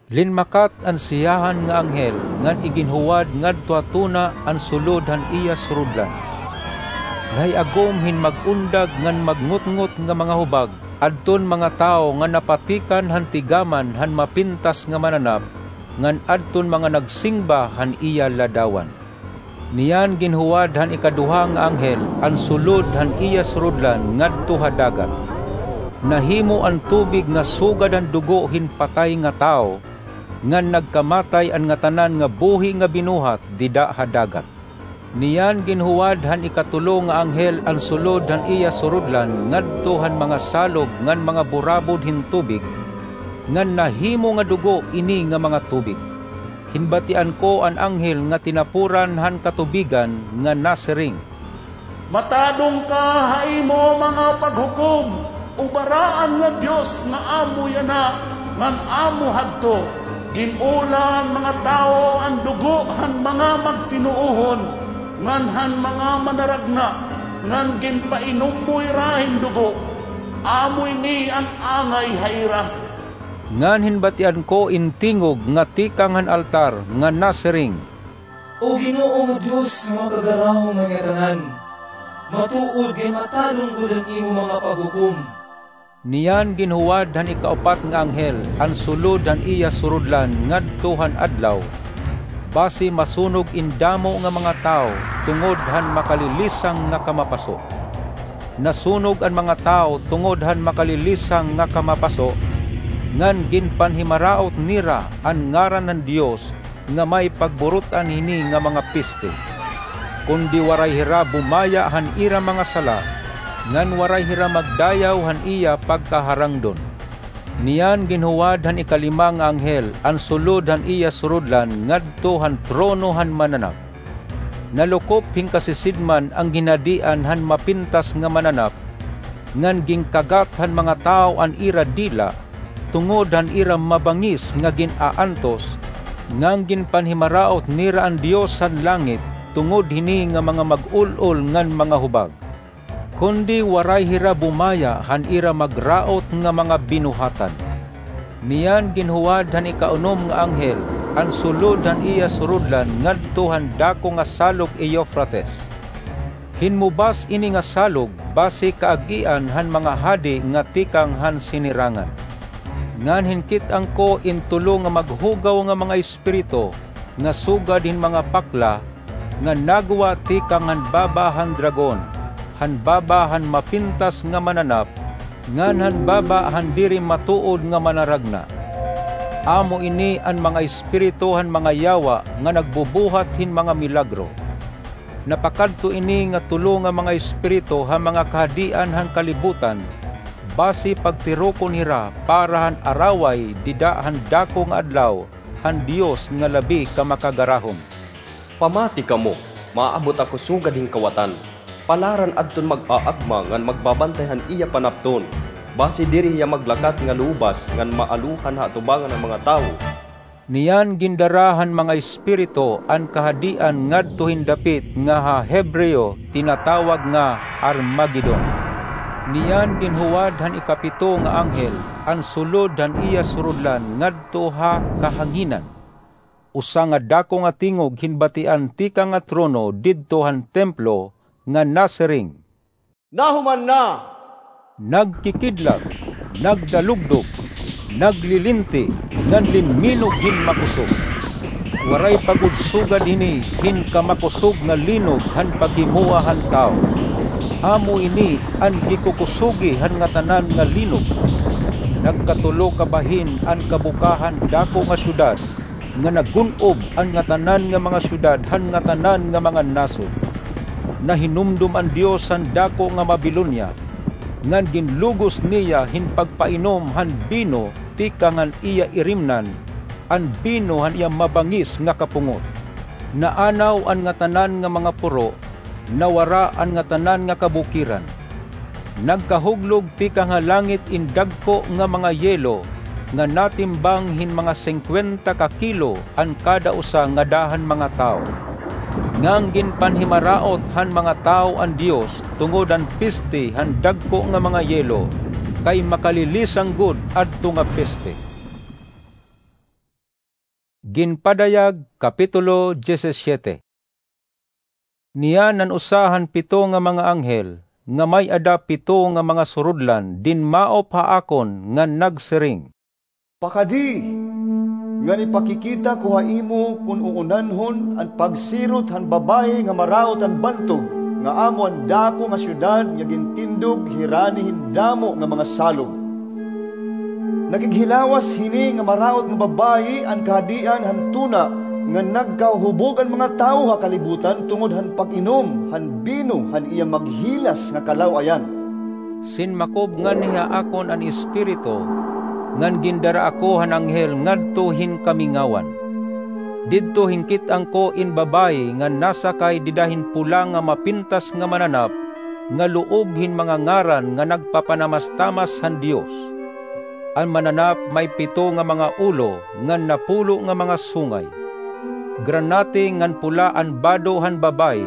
Linmakat an siyahan nga anghel ngan iginhuwad ngadto ha tuna an sulod han iya surudlan. Nahiagom hin mag-undag ngan magngutngot nga mga hubag adton mga tawo nga napatikan han tigaman han mapintas nga mananap ngan adton mga nagsimba han iya ladawan. Niyan ginhuwad han ikaduha nga anghel an sulod han iya surudlan ngadto ha dagat. Nahimo an tubig nga sugad han dugo hin patay nga tawo, ngan nagkamatay an ngatanan nga buhi nga binuhat dida ha dagat. Niyan ginhuwad han ikatulo nga anghel an sulod han iya surudlan ngadto han mga salog ngan mga burabod hin tubig, ngan nahimo nga dugo ini nga mga tubig. Hinbatian ko an anghel nga tinapuran han katubigan nga nasiring, "Matadong ka ha imo mga paghukom, O baraan nga Dios nga amo yana ngan amo hadto. Gin-ola han mga tawo an dugo han mga magtinuohon ngan han mga manaragna, ngan ginpainom mo hira hin dugo. Amo ini an angay ha ira." Ngan hinbatian ko in tingog nga tikang han altar nga nasiring, "O Ginoo nga Dios nga Makagarahom han ngatanan, matuod nga matadong gud an imo mga paghukom." Niyan ginhuwad han ikaupat nga anghel an sulod han iya surudlan ngadto han adlaw, basi masunog in damo nga mga tawo tungod han makalilisang nga kamapaso. Nasunog an mga tawo tungod han makalilisang nga kamapaso, ngan ginpanhimaraot nira an ngaran han Dios nga may pagburut-an hini nga mga piste. kundi waray hira bumaya han ira mga sala, ngan waray hira magdayaw han iya pagkaharangdon. Niyan ginhuwad han ikalima nga anghel an sulod han iya surudlan ngadto han trono han Mananap. Nalukop hin kasisidman an ginhadian han Mapintas nga Mananap, ngan ginkagat han mga tawo an ira dila tungod han ira mabangis nga gin-aantos, ngan ginpanhimaraot nira an Dios han langit tungod hini nga mga mag-ul-ol ngan mga hubag. Kundi waray hira bumaya han ira magraot nga mga binuhatan. Niyan ginhuwad han ikaunom nga anghel an sulod han iya surudlan ngadto han dako nga salog Eufrates. Hinmubas ini nga salog basi kaag-ian han mga hadi nga tikang han sinirangan. Ngan hinkit-an ko in tulo nga maghugaw nga mga espiritu nga sugad hin mga pakla nga nagwa tikang han baba han dragon, han baba han Mapintas nga Mananap, ngan han baba han diri matuod nga Manaragna. Amo ini an mga espiritu han mga yawa nga nagbubuhat hin mga milagro. Napakadto ini nga tulo nga mga espiritu ha mga kahadian han kalibutan, basi pagtirukon hira para han araway dida han dako nga adlaw han Dios nga Labi ka Makagarahom. Pamati kamo, maabot ako sugad hin kawatan. Palaran adton mag-aagma ngan magbabantay han iya panapton, basi diri hiya maglakat nga lubas ngan maalohan ha atubangan han mga tawo. Niyan gindara han mga espiritu an kahadian ngadto hin dapit nga ha Hebreo tinatawag nga Armagedon. Niyan ginhuwad han ikapito nga anghel an sulod han iya surudlan ngadto ha kahanginan. Usa nga dako nga tingog hin batian tikang ha trono didto han templo nga nasiring, "Nahuman na!" Nagkikidlat, nagdalugdog, naglilinti, ngan linminog hin makosog. Waray pa gud sugad hini hin kamakusog nga linog han paghimoa han tawo. Amo ini an gikukusogi han ngatanan nga linog. Nagkatulo ka bahin an kabuka han dako nga syudad, nga nagun-ob an ngatanan nga mga syudad han ngatanan nga mga nasod. Nahinumdom an Dios han dako nga Babilonia, ngan ginlugos niya hin pagpainom han bino tikang han iya irimnan, an bino han iya mabangis nga kapungot. Naanaw an ngatanan nga mga puro, nawara an ngatanan nga kabukiran. Nagkahuglog tikang ha langit in dagko nga mga yelo nga natimbang hin mga singkwenta ka kilo an kada usa ngada han mga tawo. Ngan ginpanhimaraot han mga tawo an Dios tungod han peste han dagko nga mga yelo, kay makalilisang gud adto nga peste. Ginpadayag, Kapitulo diyesisiete. Niyan an usa han pito nga mga anghel nga may-ada pito nga mga surudlan dinmaop ha akon ngan nagsiring, "Pakadi, ngan ipakikita ko ha imo kon uunanhon an pagsirot han babaye nga maraot han bantog, nga amo an dako nga syudad nga gintindog hirani hin damo nga mga salog." Nakighilawas hini nga maraot nga babaye an kahadian han tuna, nga nagkahuhubog an mga tawo ha kalibutan tungod han pag-inom han bino han iya maghilas nga kalaw-ayan. Sinmakob ngani ha akon an Espiritu, ngan gindara ako han anghel ngadto hin kamingawan. Didto hinkit-an ko in babaye nga nasakay dida hin pula nga mapintas nga mananap, nga loob hin mga ngaran nga nagpapanamastamas han Dios. An mananap may pito nga mga ulo ngan napulo nga mga sungay. Granate ngan pula an bado han babaye,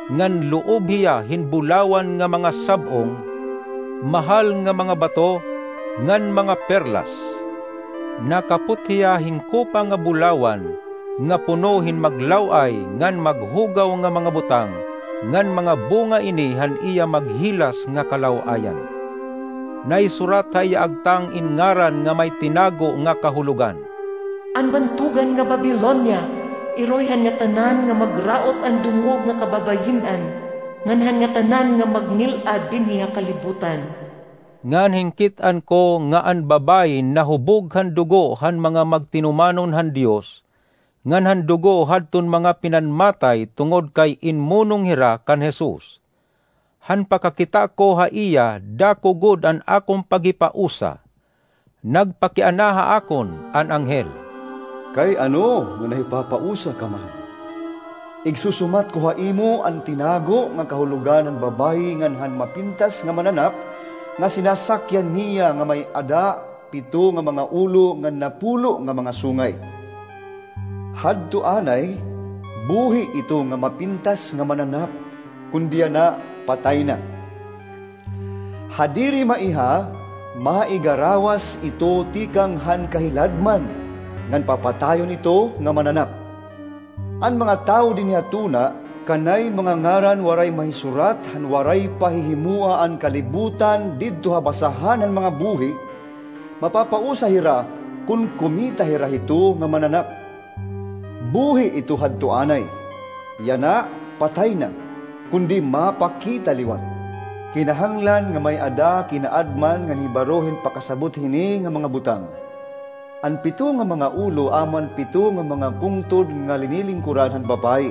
ngan loob hiya hin bulawan nga mga sab-ong, mahal nga mga bato, ngan mga perlas. Nakapot hiya hin kopa nga bulawan, nga puno hin maglaw-ay ngan maghugaw nga mga butang, ngan mga bunga ini han iya maghilas nga kalaw-ayan. Naisurat ha iya agtang in ngaran nga may tinago nga kahulogan, An Bantogan nga Babilonia, iroy han ngatanan nga magraot an dungog nga kababayin-an, ngan han ngatanan nga magngil-ad dinhi ha kalibutan. Ngan hinkit-an ko nga an babaye nahubog han dugo han mga magtinumanon han Dios, ngan han dugo hadton mga pinanmatay tungod kay inmunong hira kan Jesus. Han pakakita ko ha iya, dako gud an akon paghipausa. Nagpakiana ha akon an anghel, "Kay ano nga nahipapausa ka man? Igsusumat ko ha imo an tinago nga kahulogan han babayi ngan han mapintas nga mananap, nga sinasakyan niya nga may-ada pito nga mga ulo ngan napulo nga mga sungay. Hadto anay, buhi ito nga mapintas nga mananap, kundi yana, patay na. Ha diri maiha, maigarawas ito tikang han kahiladman, ngan papatayon ito nga mananap. An mga tawo dinhi ha tuna, kanay mga ngaran waray mahisurat han waray pa hihimoa an kalibutan didto ha basahan han mga buhi, mapapausa hira kon kumita hira hito nga mananap. Buhi ito hadto anay. Yana, patay na, kundi mapakita liwat. Kinahanglan nga may-ada kinaadman ngan hibaro hin pakasabot hini nga mga butang. An pito nga mga ulo amo an pito nga mga pungtod nga linilingkuran han babayi.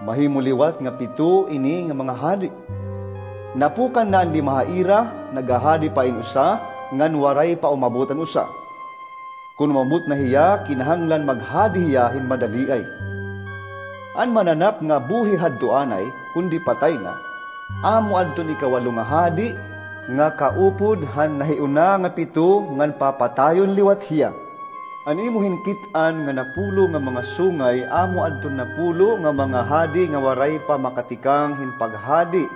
Mahimo liwat nga pito ini nga mga hadi. Napukan na an lima ha ira, naghahadi pa in usa, ngan waray pa umabot an usa. Kon umabot na hiya, kinahanglan maghadi hiya hin madaliay. An mananap nga buhi hadto anay, kundi patay na, amo adton ikawalo nga hadi, nga kaupod han nahiuna nga pito, ngan papatayon liwat hiya. An imo hinkit-an nga napulo nga mga sungay, amo adton napulo nga mga hadi nga waray pa makatikang hin paghadi,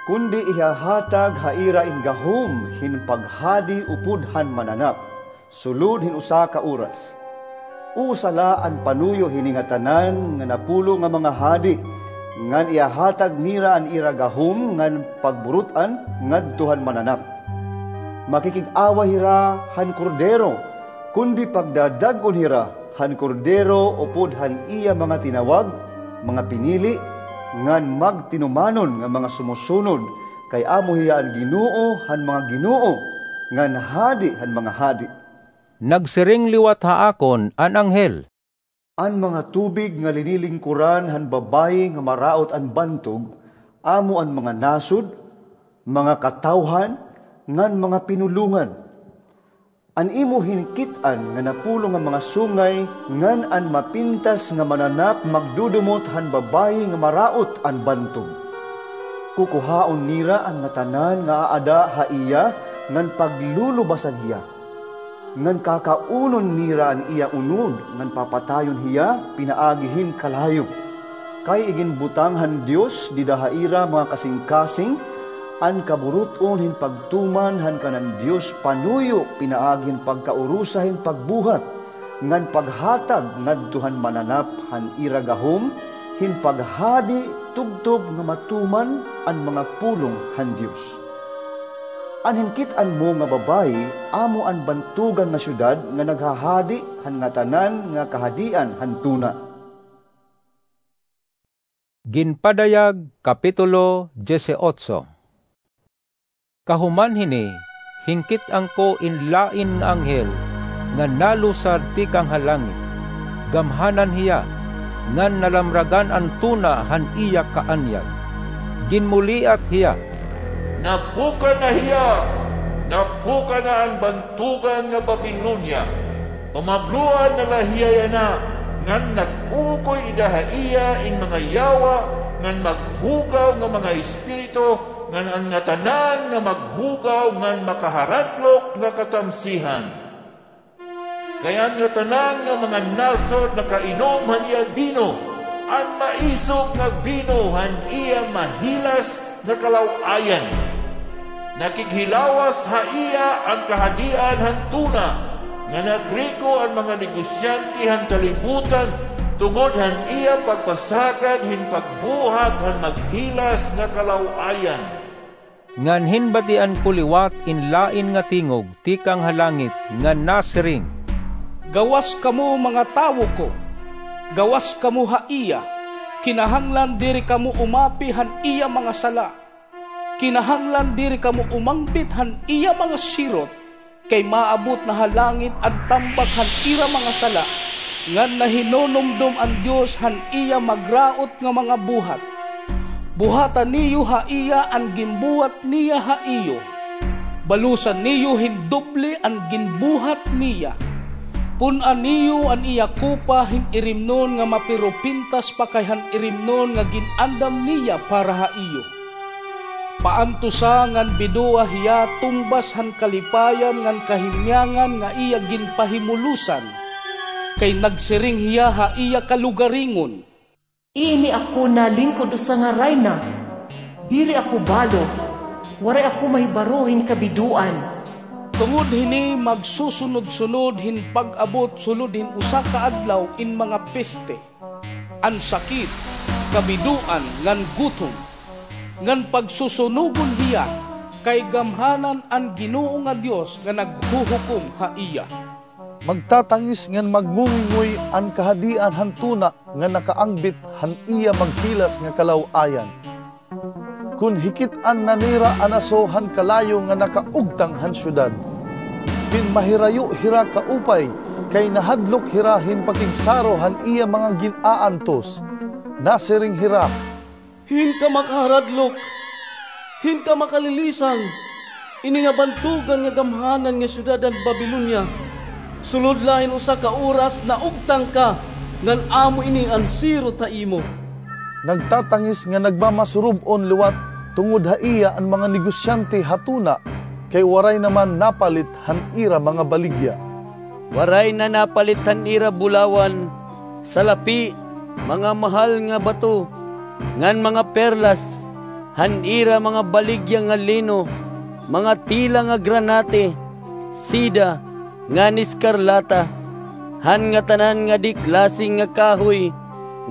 kundi ihahatag ha ira in gahom hin paghadi upod han mananap, sulod hin usa ka oras. Usa la an panuyo hini ngatanan nga napulo nga mga hadi, ngan ihahatag nira an ira gahom ngan pagburut-an ngadto han mananap. Makikig-away hira han kordero, kundi pagdadag-on hira han kordero upod han iya mga tinawag, mga pinili, ngan magtinumanon nga mga sumusunod, kay amo hiya an Ginoo han mga ginoo, ngan Hadi han mga hadi. Nagsiring liwat ha akon an anghel, An mga tubig nga linilingkuran han babayi nga maraot an bantog, amo an mga nasod, mga katawhan, ngan mga pinulongan. An imo hinkit-an nga napulo nga mga sungay ngan an mapintas nga mananap magdudumot han babayi nga maraot an bantog. Kukuhaon nira an ngatanan nga aada ha iya ngan paglulubasan hiya. Ngan kakaunon nira an iya unod ngan papatayon hiya pinaagi hin kalayo. Kay iginbutang han Dios dida ha ira mga kasingkasing an kaburut-on hin pagtuman han kanan Dios panuyo pinaagi hin pagkaurusa hin pagbuhat ngan paghatag ngadto han mananap han ira gahom hin paghadi tubtob nga matuman an mga pulong han Dios. An hinkit-an mo nga babayi amo an bantogan nga syudad nga naghahadi han ngatanan nga kahadian han tuna. Ginpadayag, Kapitulo dieciocho. Kahuman hini, hinkit-an ko in lain nga anghel nga nalusad tikang ha langit. Gamhanan hiya, ngan nalamragan an tuna han iya kaanyag. Ginmuliat hiya, Napukan na hiya! Napukan na an bantogan nga Babilonia! Pamabloan na la hiya yana, ngan nag-uukoy ida ha iya in mga yawa ngan maghugaw nga mga espiritu, ngan an ngatanan nga maghugaw ngan makaharatlok nga katamsihan. Kay an ngatanan nga mga nasod nakainom han iya bino, an maisog nga bino han iya mahilas nga kalaw-ayan. Nakighilawas ha iya an kahadian han tuna, nga nagriko an mga negosyante han kalibutan tungod han iya pagpasagad hin pagbuhat han maghilas nga kalaw-ayan. Ngan hinbatian ko liwat in lain nga tingog tikang ha langit nga nasiring, Gawas kamo, mga tawo ko, gawas kamo ha iya, kinahanglan diri kamo umapi han iya mga sala. Kinahanglan diri kamo umangbit han iya mga sirot, kay maabot na ha langit an tambak han ira mga sala. ngan nahinunumdom an Dios han iya magraot nga mga buhat. Buhata niyo ha iya an ginbuhat niya ha iyo. Balusa niyo hin doble an ginbuhat niya. Pun-a niyo an iya kopa hin irimnon nga mapirupintas pa kay han irimnon nga gin-andam niya para ha iyo. Paantusa ngan bidoa hiya tungbas han kalipayan ngan kahimyangan nga iya ginpahimulosan, kay nagsiring hiya ha iya kalugaringon, "Ini ako nalingkod usa nga rayna. Diri ako balo. Waray ako mahibaro hin kabidoan." Tungod hini, magsusunod-sunod hin pag-abot sulod hin usa ka adlaw in mga peste, an sakit, kabidoan, ngan gutom, ngan pagsusunugon hiya, kay gamhanan an Ginoo nga Dios nga naghuhukom ha iya. Magtatangis ngan magngungingoy an kahadian han tuna nga nakaangbit han iya maghilas nga kalaw-ayan. Kon hikit-an na nira an aso han kalayo nga nakaugtang han syudad, pinmahirayo hira kaupay, kay nahadlok hira hin pakigsaro han iya mga gin-aantos. Nasiring hira, "Hin ka makaharadlok, hin ka makalilisang, ini nga bantogan nga gamhanan nga syudad han Babilonia, sulod la hin usa ka oras naugtang ka, ngan amo ini an sirot ha imo." Nagtatangis ngan nagmamasurob-on liwat tungod ha iya an mga negosyante ha tuna, kay waray na man napalit han ira mga baligya. Waray na napalit han ira bulawan, salapi, mga mahal nga bato, ngan mga perlas, han ira mga baligya nga lino, mga tela nga granate, seda, ngan eskarlata, han ngatanan nga di klase nga kahoy,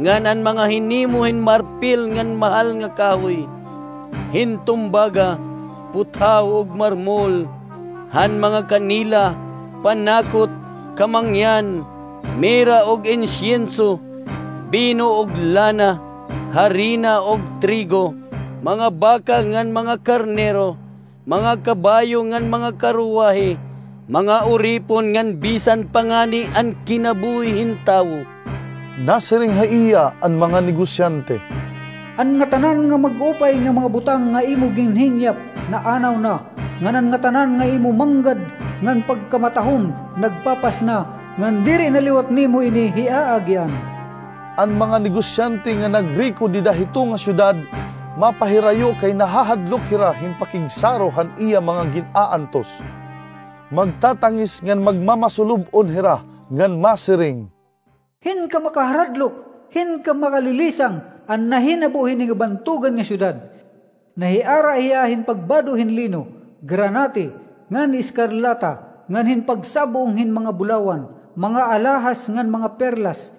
ngan an mga hinimo hin marpil ngan mahal nga kahoy, hin tumbaga, puthaw ug marmol, han mga kanela, panakot, kamangyan, mira ug insyenso, bino ug lana, harina ug trigo, mga baka ngan mga karnero, mga kabayo ngan mga karuwahe, mga uripon ngan bisan pa ngani an kinabuhi hin tawo. Nasiring ha iya an mga negosyante, "An ngatanan nga mag-upay nga mga butang nga imo ginhinyap naanaw na, ngan an ngatanan nga imo manggad ngan pagkamatahom nagpapas na, ngan diri na liwat nimo ini hiaagian." An mga negosyante nga nagriko dida hito nga syudad mapahirayo kay nahahadlok hira hin pakigsaro han iya mga gin-aantos. Magtatangis ngan magmamasulob-on hira ngan masiring, "Hin ka makaharadlok, hin ka makalilisang an nahinabo hini nga bantogan nga syudad? Nahiara hiya hin pagbado hin lino, granate, ngan eskarlata, ngan hin pagsab-ong hin mga bulawan, mga alahas ngan mga perlas,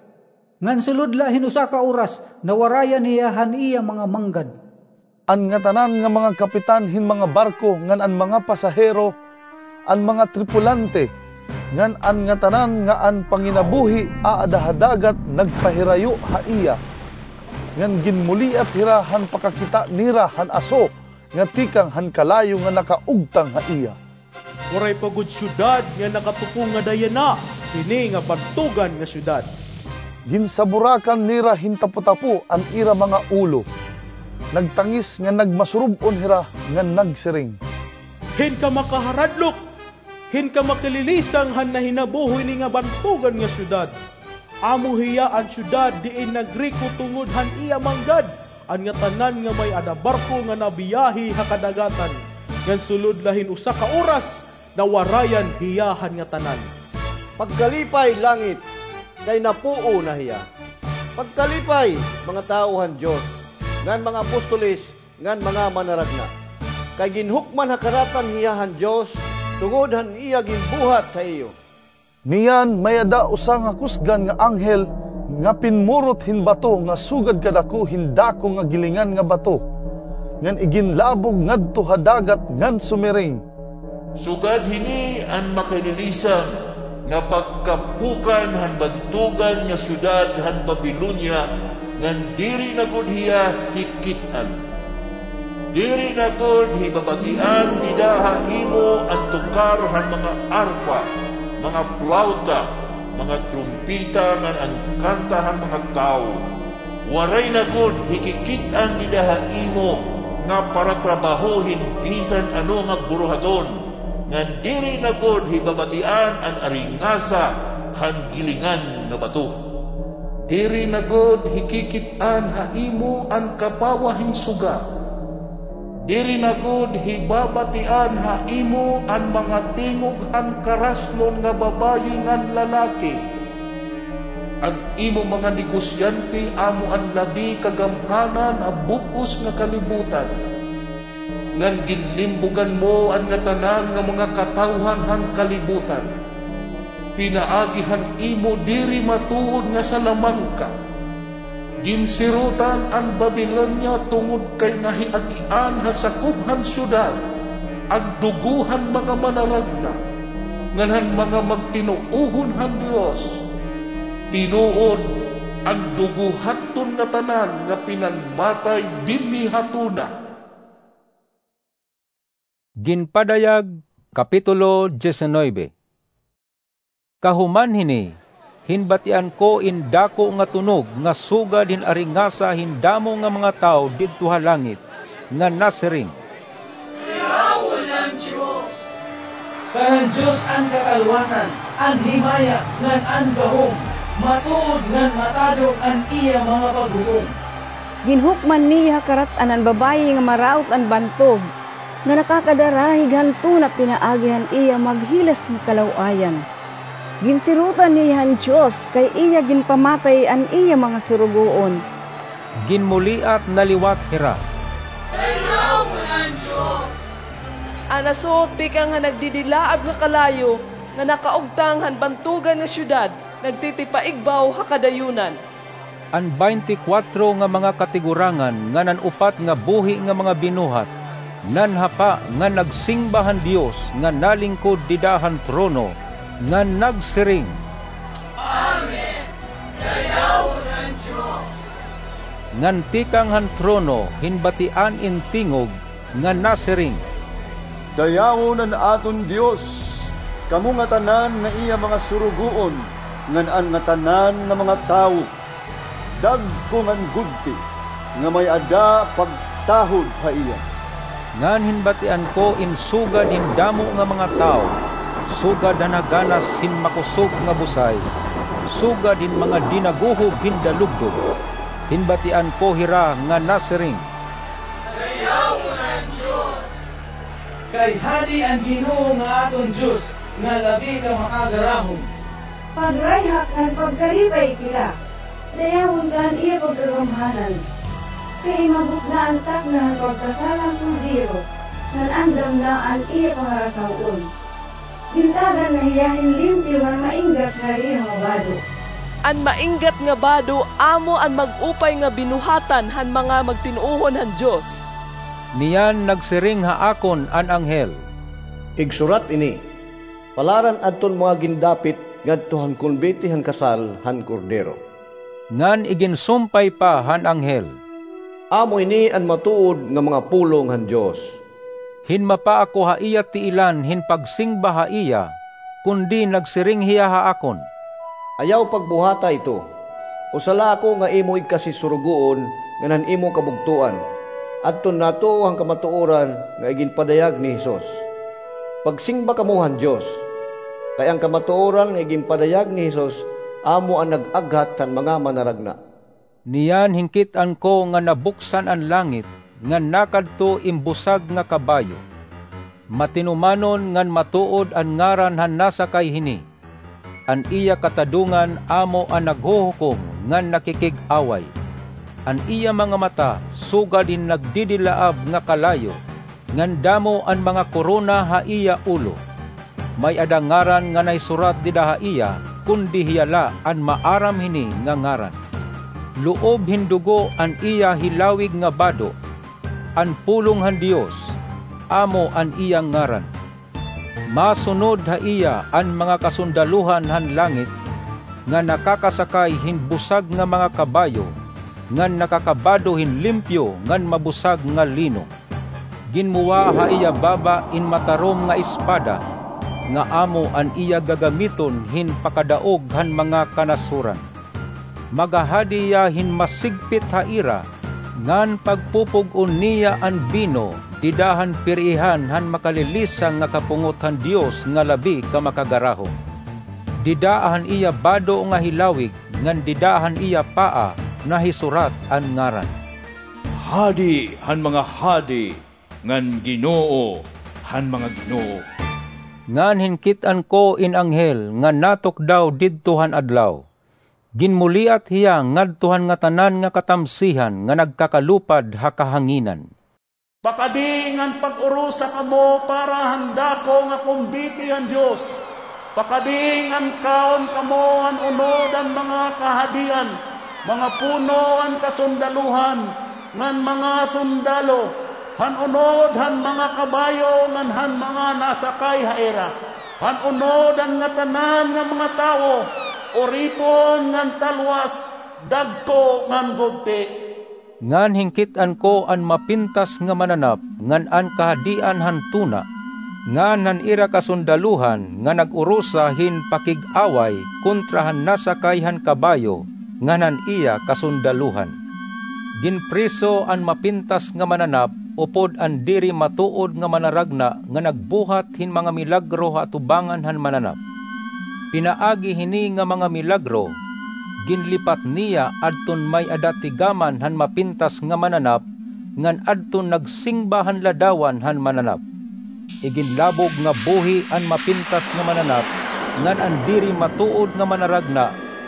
ngan sulod la hin usa ka oras nawarayan hiya han iya mga manggad." An ngatanan nga mga kapitan hin mga barko ngan an mga pasahero, an mga tripulante, ngan an ngatanan nga an panginabuhi aada ha dagat nagpahirayo ha iya, ngan ginmuliat hira han pakakita nira han aso nga tikang han kalayo nga nakaugtang ha iya. Waray pa gud syudad nga nakatukong nga dayana hini nga bantogan nga syudad. Ginsaburakan nira hin tapotapo an ira mga ulo. Nagtangis ngan nagmasurob-on hira ngan nagsiring, "Hin ka makaharadlok, hin ka makalilisang han nahinabo hini nga bantogan nga syudad? Amo hiya an syudad diin nagriko tungod han iya manggad, an ngatanan nga may-ada barko nga nabiyahe ha kadagatan, ngan sulod la hin usa ka oras, nawarayan hiya han ngatanan." Pagkalipay, langit, kay napuo na hiya. Pagkalipay, mga tawo han Dios, ngan mga apostoles, ngan mga manaragna, kay ginhukman ha karatan hiya han Dios tungod han iya ginbuhat ha iyo. Niyan may-ada usa nga kusgan nga anghel nga pinmurot hin bato nga sugad kadako hin dako nga gilingan nga bato, ngan iginlabog ngadto ha dagat ngan sumiring, "Sugad hini an makalilisang nga pagkapukan han bantogan nga syudad han Babilonia, ngan diri na gud hiya hikit-an. Diri na gud hibabatian dida ha imo an tukar han mga arpa, mga plawta, mga trumpeta ngan an kanta han mga tawo. Waray na gud hikikit-an dida ha imo nga paratrabaho hin bisan ano nga buruhaton, ngan diri na gud hibabatian an aringasa han gilingan nga bato. Diri na gud hikikit-an ha imo an kapawa hin suga. Diri na gud hibabatian ha imo an mga tingog han karaslon nga babayi ngan lalaki. An imo mga negosyante amo an labi kagamhanan ha bug-os nga kalibutan, ngan ginlimbugan mo an ngatanan nga mga katawhan han kalibutan. Pinaagi han imo diri matuod nga salamangka. Ginsirutan an Babilonia tungod kay nahiagian ha sakob han syudad an dugo han mga manaragna, ngan han mga magtinuohon han Dios. Tinuod, an dugo hadton ngatanan nga pinanmatay dinhi ha tuna. Ginpadayag, Kapitulo diecinuebe. Kahuman hini, hinbatian ko in dako nga tunog nga sugad hin aringasa hin damo nga mga tawo didto ha langit, nga nasiring, "Dayawon an Dios! Kan han Dios an kakalwasan, an himaya, ngan an gahom, matuod ngan matadong an iya mga paghukom." Ginhukman niya ha karat-an an babayi nga maraot an bantog, nga nakakadarahig han tuna pinaagi han iya maghilas nga kalaw-ayan. Ginsirutan niya han Dios kay iya ginpamatay an iya mga surugoon. Ginmuliat na liwat hira. Dayawon an Dios! An asot tikang han nagdidilaab nga kalayo nga nakaugtang han bantogan nga syudad nagtitipaigbaw ha kadayonan. An baynte kwatro nga mga katigurangan ngan an upat nga buhi nga mga binuhat nanhapa ngan nagsingba han Dios nga nalingkod dida han trono, ngan nagsiring, "Amen! Dayawon an Dios!" Ngan tikang han trono hinbatian in tingog nga nasiring, "Dayawon an aton Dios, kamo ngatanan nga iya mga surugoon, ngan an ngatanan nga mga tawo. Dagko ngan gudti nga may-ada pagtahod ha iya." Ngan hinbatian ko in sugad hin damo nga mga tawo, sugad han haganas hin makosog nga busay, sugad hin mga dinaguhob hin dalugdog. Hinbatian ko hira nga nasiring, "Dayawon an Dios! Kay hadi an Ginoo nga aton Dios nga labi ka makagarahom. Pagrayhak ngan pagkalipay kita. Dayawon ta an iya pagkagamhanan. Kay inabot na an takna han pagkasala han Kordero, ngan andam na an iya pangarasaw-on. Gintagan na hiya hin limpyo ngan mainggat nga liha nga bado." An mainggat nga bado amo an mag-upay nga binuhatan han mga magtinuohon han Dios. Niyan nagsiring ha akon an anghel, "Igsurat ini, palaran adton mga gindapit ngadto han konbite han kasal han Kordero." Ngan iginsumpay pa han anghel, "Amo ini an matuod nga mga pulong han Dios." Hinmapa ako ha iya tiilan hin pagsingba ha iya, kundi nagsiring hiya ha akon, "Ayaw pagbuhata ito. Usa la ako nga imo igkasisurugoon ngan han imo kabugtoan, adton natuo han kamatuoran nga iginpadayag ni Jesus. Pagsingba kamo han Dios, kay an kamatuoran nga iginpadayag ni Jesus amo an nag-aghat han mga manaragna." Niyan hinkit-an ko nga nabuksan an langit, ngan nakadto in busag nga kabayo. Matinumanon ngan matuod an ngaran han nasakay hini. An iya katadongan amo an naghuhukom ngan nakikig-away. An iya mga mata sugad hin nagdidilaab nga kalayo, ngan damo an mga korona ha iya ulo. May-ada ngaran nga naisurat dida ha iya, kundi hiya la an maaram hini nga ngaran. Loob hin dugo an iya hilawig nga bado. An Pulong han Dios amo an iya ngaran. Masunod ha iya an mga kasundalohan han langit, nga nakakasakay hin busag nga mga kabayo, ngan nakakabado hin limpyo ngan mabusag nga lino. Ginmuwa ha iya baba in matarom nga espada, nga amo an iya gagamiton hin pakadaog han mga kanasoran. Magahadi hiya hin masigpit ha ira, ngan pagpupug-on niya an bino dida han piriihan han makalilisang nga kapungot han Dios nga labi ka makagarahom. Dida han iya bado nga hilawig, ngan dida han iya paa nahisurat an ngaran. Hadi han mga hadi, ngan Ginoo han mga ginoo. Ngan hinkit-an ko in anghel nga natukdaw didto han adlaw. Ginmuliat hiya ngadto han ngatanan nga katamsihan nga nagkakalupad ha kahanginan. Pakadi ngan pag-urusa kamo para han dako nga kumbiti han Dios. Pakadi ngan kaon kamo han unod han mga kahadian, mga puno han kasundalohan, ngan mga sundalo, han unod han mga kabayo ngan han mga nasakay ha ira, han unod han ngatanan nga mga tawo, uripon ngan talwas, dagko ngan gugti. Ngan hinkit-an ko an mapintas nga mananap ngan an kahadian han tuna, ngan han ira kasundalohan nga nag-urusa hin pakig-away kontra han nasakay han kabayo ngan han iya kasundalohan. Ginpriso an mapintas nga mananap upod an diri matuod nga manaragna nga nagbuhat hin mga milagro ha atubangan han mananap. Pinaagi hini nga mga milagro, ginlipat niya adton may-ada tigaman han mapintas nga mananap, ngan adton nagsingba han ladawan han mananap. Iginlabog nga buhi an mapintas nga mananap, ngan an diri matuod nga manaragna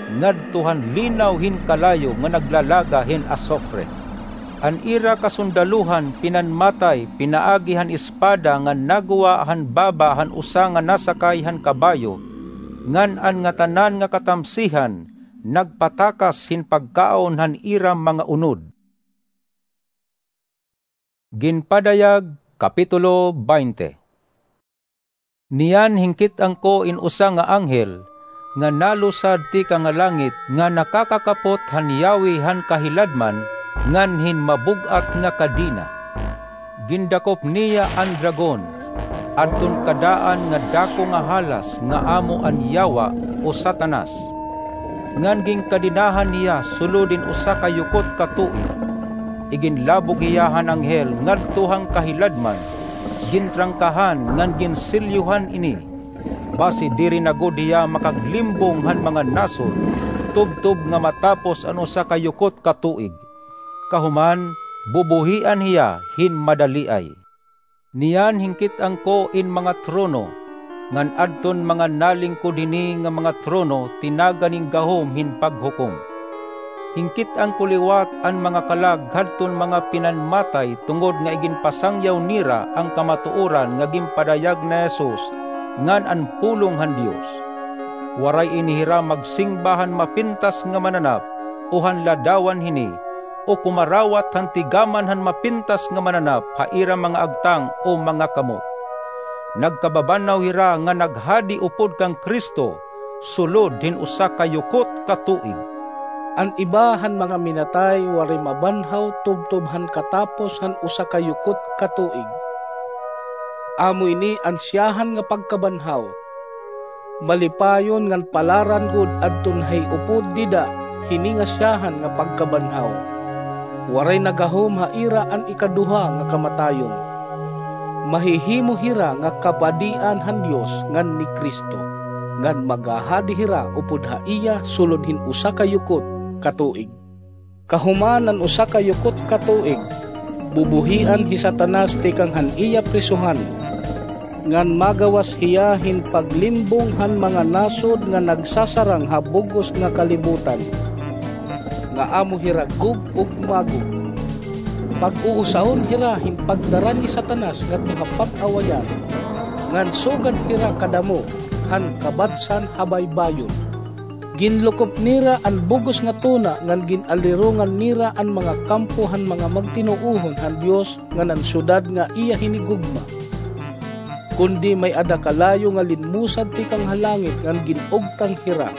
ngadto han linaw hin kalayo nga naglalaga hin asufre. An ira kasundalohan pinanmatay pinaagi han espada nga nagwa han baba han usa nga nasakay han kabayo, ngan an ngatanan nga katamsihan nagpatakas hin pagkaon han ira mga unod. Ginpadayag, Kapitulo twenty. Niyan hinkit-an ko in usa nga anghel nga nalusad tikang ha langit nga nakakakapot han yawi han kahiladman ngan hin mabug-at nga kadena. Gindakop niya an dragon, adton kadaan nga dako nga halas nga amo an Yawa o Satanas, ngan ginkadenahan hiya sulod hin usa ka yukot ka tuig. Iginlabog hiya han anghel ngadto han kahiladman, gintrangkahan ngan ginsilyohan ini, basi diri na gud hiya makaglimbong han mga nasod, tubtob nga matapos an usa ka yukot ka tuig. Kahuman, bubuhian hiya hin madaliay. Niyan hinkit-an ko in mga trono, ngan adton mga nalingkod hini nga mga trono tinagan hin gahom hin paghukom. Hinkit-an ko liwat an mga kalag hadton mga pinanmatay tungod nga iginpasangyaw nira an kamatuoran nga ginpadayag ni Jesus ngan an pulong han Dios. Waray ini hira magsingba han mapintas nga mananap o han ladawan hini, o kumarawat han tigaman han mapintas nga mananap ha ira mga agtang o mga kamot. Nagkababanhaw hira nga naghadi upod kan Cristo sulod hin usa ka yukot ka tuig. An iba han mga minatay waray mabanhaw tubtob han katapos han usa ka yukot ka tuig. Amo ini an siyahan nga pagkabanhaw. Malipayon ngan palaran gud adton hay upod dida hini nga siyahan nga pagkabanhaw. Waray na gahom ha ira an ikaduha nga kamatayon. Mahihimo hira nga kapadian han Dios ngan ni Cristo, ngan magahadi hira upod ha iya sulod hin usa ka yukot ka tuig. Kahuman an usa ka yukot ka tuig, bubuhian hi Satanas tikang han iya prisohan, ngan magawas hiya hin paglimbong han mga nasod nga nagsasarang ha bug-os nga kalibutan, nga amo hira Gog ug Magog. Pag-uusahon hira hin pagdara ni Satanas ngadto ha pag-awayan, ngan sugad hira kadamo han kabadsan ha baybayon. Ginlukop nira an bug-os nga tuna ngan gin-alirongan nira an mga kampo han mga magtinuohon han Dios ngan an syudad nga iya hinigugma. Kundi may-ada kalayo nga linmusad tikang ha langit ngan gin-ugtang hira,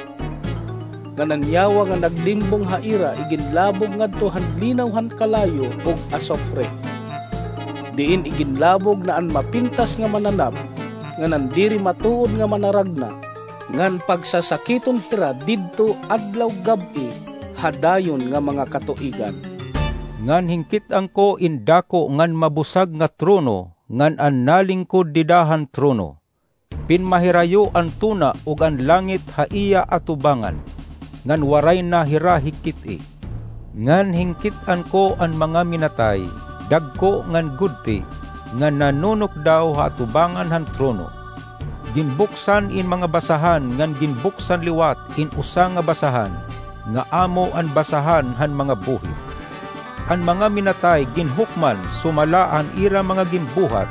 ngan an Yawa nga naglimbong ha ira iginlabog ngadto han linaw han kalayo ug asupre, diin iginlabog na an mapintas nga mananap ngan an diri matuod nga manaragna, ngan pagsasakiton hira didto adlaw gab-i ha dayon nga mga katuigan. Ngan hinkit-an ko in dako ngan mabusag nga trono ngan an nalingkod dida han trono. Pinmahirayo an tuna ug an langit ha iya atubangan, ngan waray na hira hikit-i. Ngan hinkit-an ko an mga minatay, dagko ngan gudti, nga nanunukdaw ha atubangan han trono. Ginbuksan in mga basahan ngan ginbuksan liwat in usa nga basahan, nga amo an basahan han mga buhi. An mga minatay ginhukman sumala han ira mga ginbuhat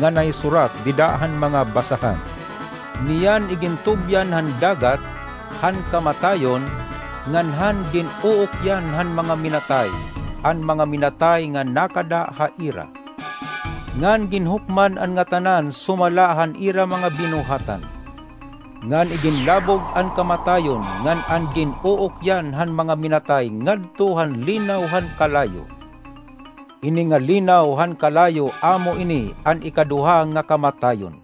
nga nahisurat dida han mga basahan. Niyan igintubyan han dagat han kamatayon, ngan han gin-uukyan han mga minatay, an mga minatay nga nakada ha ira. Ngan ginhukman an ngatanan sumala han ira mga binuhatan. Ngan iginlabog an kamatayon ngan an gin-uukyan han mga minatay ngadto han linaw han kalayo. Ini nga linaw han kalayo amo ini an ikaduha nga kamatayon.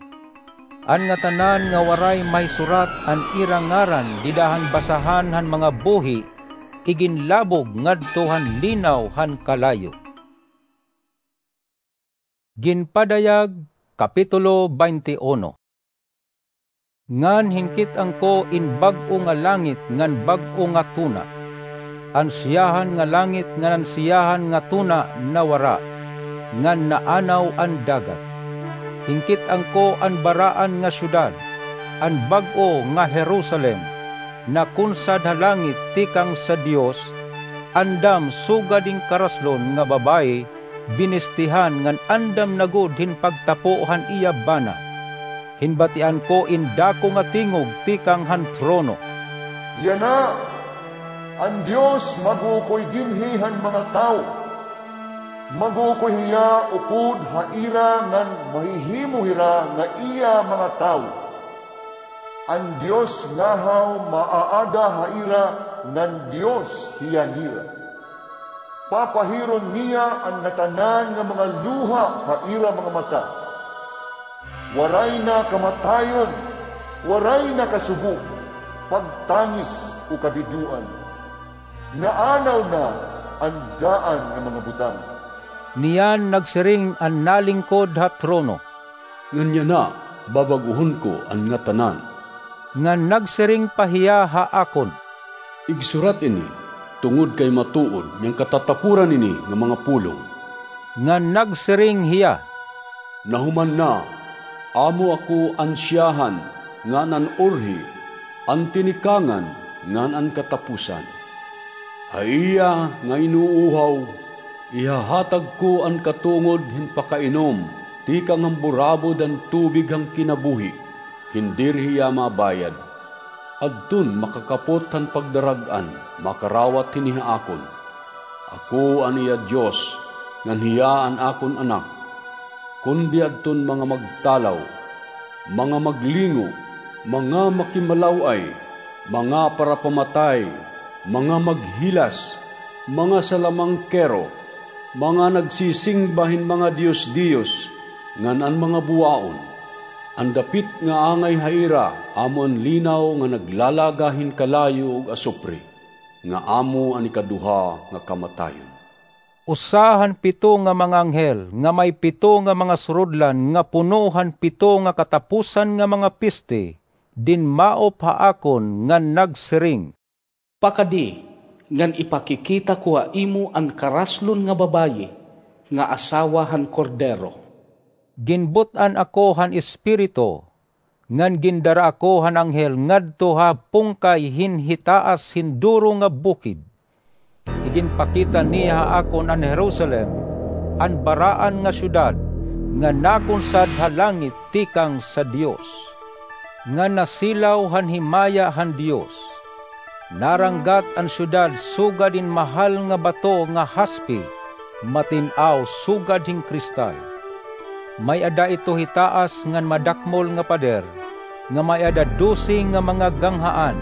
An ngatanan nga waray mahisurat an ira ngaran dida han basahan han mga buhi iginlabog ngadto han linaw han kalayo. Ginpadayag, Kapitulo twenty-one. Ngan hinkit-an ko in bag-o nga langit ngan bag-o nga tuna. An siyahan nga langit ngan an siyahan nga tuna nawara, ngan naanaw an dagat. Hinkit-an ko an baraan nga syudad, an bag-o nga Jerusalem, nakunsad ha langit tikang sa Dios, andam sugad hin karaslon nga babaye, binistihan ngan andam na gud hin pagtapo han iya bana. Hinbatian ko in dako nga tingog tikang han trono, "Yana, an Dios mag-uukoy dinhi han mga tawo. Mag-uukoy hiya upod ha ira ngan mahihimo hira nga iya mga tawo. An Dios ngahaw maaada ha ira ngan Dios hiya nira. Papahiron niya an ngatanan nga mga luha ha ira mga mata. Waray na kamatayon, waray na kasubo, pagtangis o kabidoan. Naanaw na an daan nga mga butang." Niyan nagsiring an nalingkod ha trono, "Ngan yana, babaguhon ko an ngatanan." Ngan nagsiring pa hiya ha akon, "Igsurat ini, tungod kay matuod niyan katatapuran ini nga mga pulong." Ngan nagsiring hiya, "Nahuman na, amo ako an siyahan ngan an urhi, an tinikangan ngan an katapusan. Ha iya nga inuuhaw, ihahatag ko an katungod hin pakainom tikang han burabod han tubig han kinabuhi, hin diri hiya mabayad. Adton makakapot han pagdarag-an makarawat hini ha akon. Ako an iya Dios, ngan hiya an akon anak. Kundi adton mga magtalaw, mga maglingo, mga makimalaw-ay, mga parapamatay, mga maghilas, mga salamangkero, mga nagsisingba hin mga diyos-diyos, ngan an mga buwaon. An dapit nga angay ha ira amo an linaw nga naglalaga hin kalayo ug asupre, nga amo an ikaduha nga kamatayon." Usa han pito nga mga anghel nga may pito nga mga surudlan nga puno han pito nga katapusan nga mga piste dinmaop ha akon ngan nagsiring, "Pakadi ngan ipakikita ko ha imo an karaslon nga babaye nga asawa han Kordero." Ginbut-an ako han Espiritu, ngan gindara ako han anghel ngadto ha pungkay hin hitaas hin duro nga bukid. Iginpakita niya ha akon an Jerusalem, an baraan nga syudad, nga nakunsad ha langit tikang sa Dios, nga nasilaw han himaya han Dios. Naranggat an syudad sugad hin mahal nga bato nga haspe, matin-aw sugad hin kristal. May-ada ito hitaas ngan madakmol nga pader, nga may-ada dose nga mga ganghaan,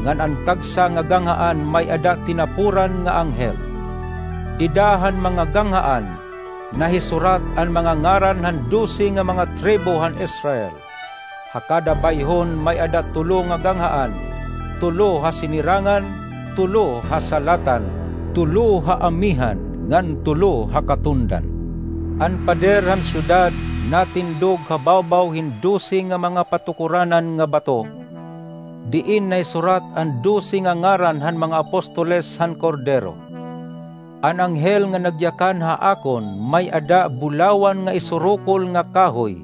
ngan an tagsa nga ganghaan may-ada tinapuran nga anghel. Dida han mga ganghaan, Nahisurat an mga ngaran han dose nga mga tribo han Israel. Ha kada bayhon may-ada tulo nga ganghaan, tulo ha sinirangan, tulo ha salatan, tulo ha amihan, ngan tulo ha katundan. An pader han syudad natindog ha bawbaw hin dose nga mga patukuranan nga bato, diin nahisurat an dose nga ngaran han mga apostoles han Kordero. An anghel nga nagyakan ha akon may-ada bulawan nga isurukol nga kahoy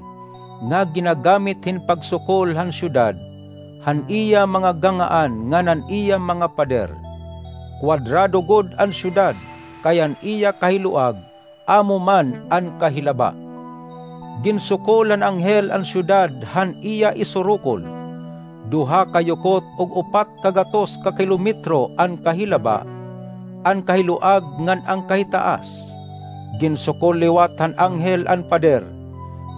nga ginagamit hin pagsukol han syudad, han iya mga ganghaan ngan an iya mga pader. Kuwadrado gud an syudad, kay an iya kahiluag amo man an kahilaba. Ginsukol han anghel an syudad han iya isurukol. Duha ka yukot ug upat ka gatos ka kilometro an kahilaba, an kahiluag ngan an kahitaas. Ginsukol liwat han anghel an pader,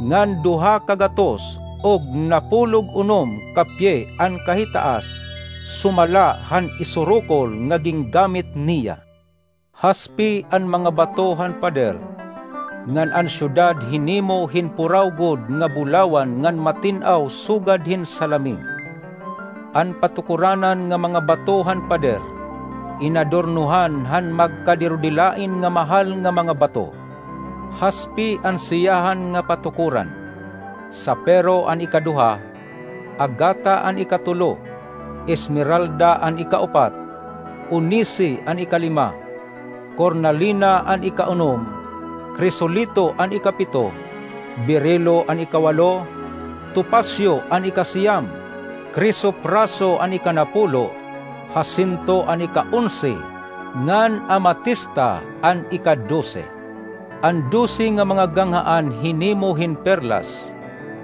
ngan duha ka gatos ug napulog unom ka pye an kahitaas, sumala han isurukol nga gingamit niya. Haspi an mga bato han pader, ngan an syudad hinimo hin puraw gud nga bulawan ngan matin-aw sugad hin salamin. An patukuranan nga mga bato han pader, inadornohan han magkadirudilain nga mahal nga mga bato. Haspi an siyahan nga patukuran: sapero an ikaduha, agata an ikatulo, esmeralda an ikaupat, onise an ikalima, kornalina an ikaunom, krisolito an ikapito, berilo an ikawalo, topasyo an ikasiyam, krisopraso an ikanapulo, hasinto an ikaonse, ngan amatista an ikadose. An dose nga mga ganghaan hinimo hin perlas,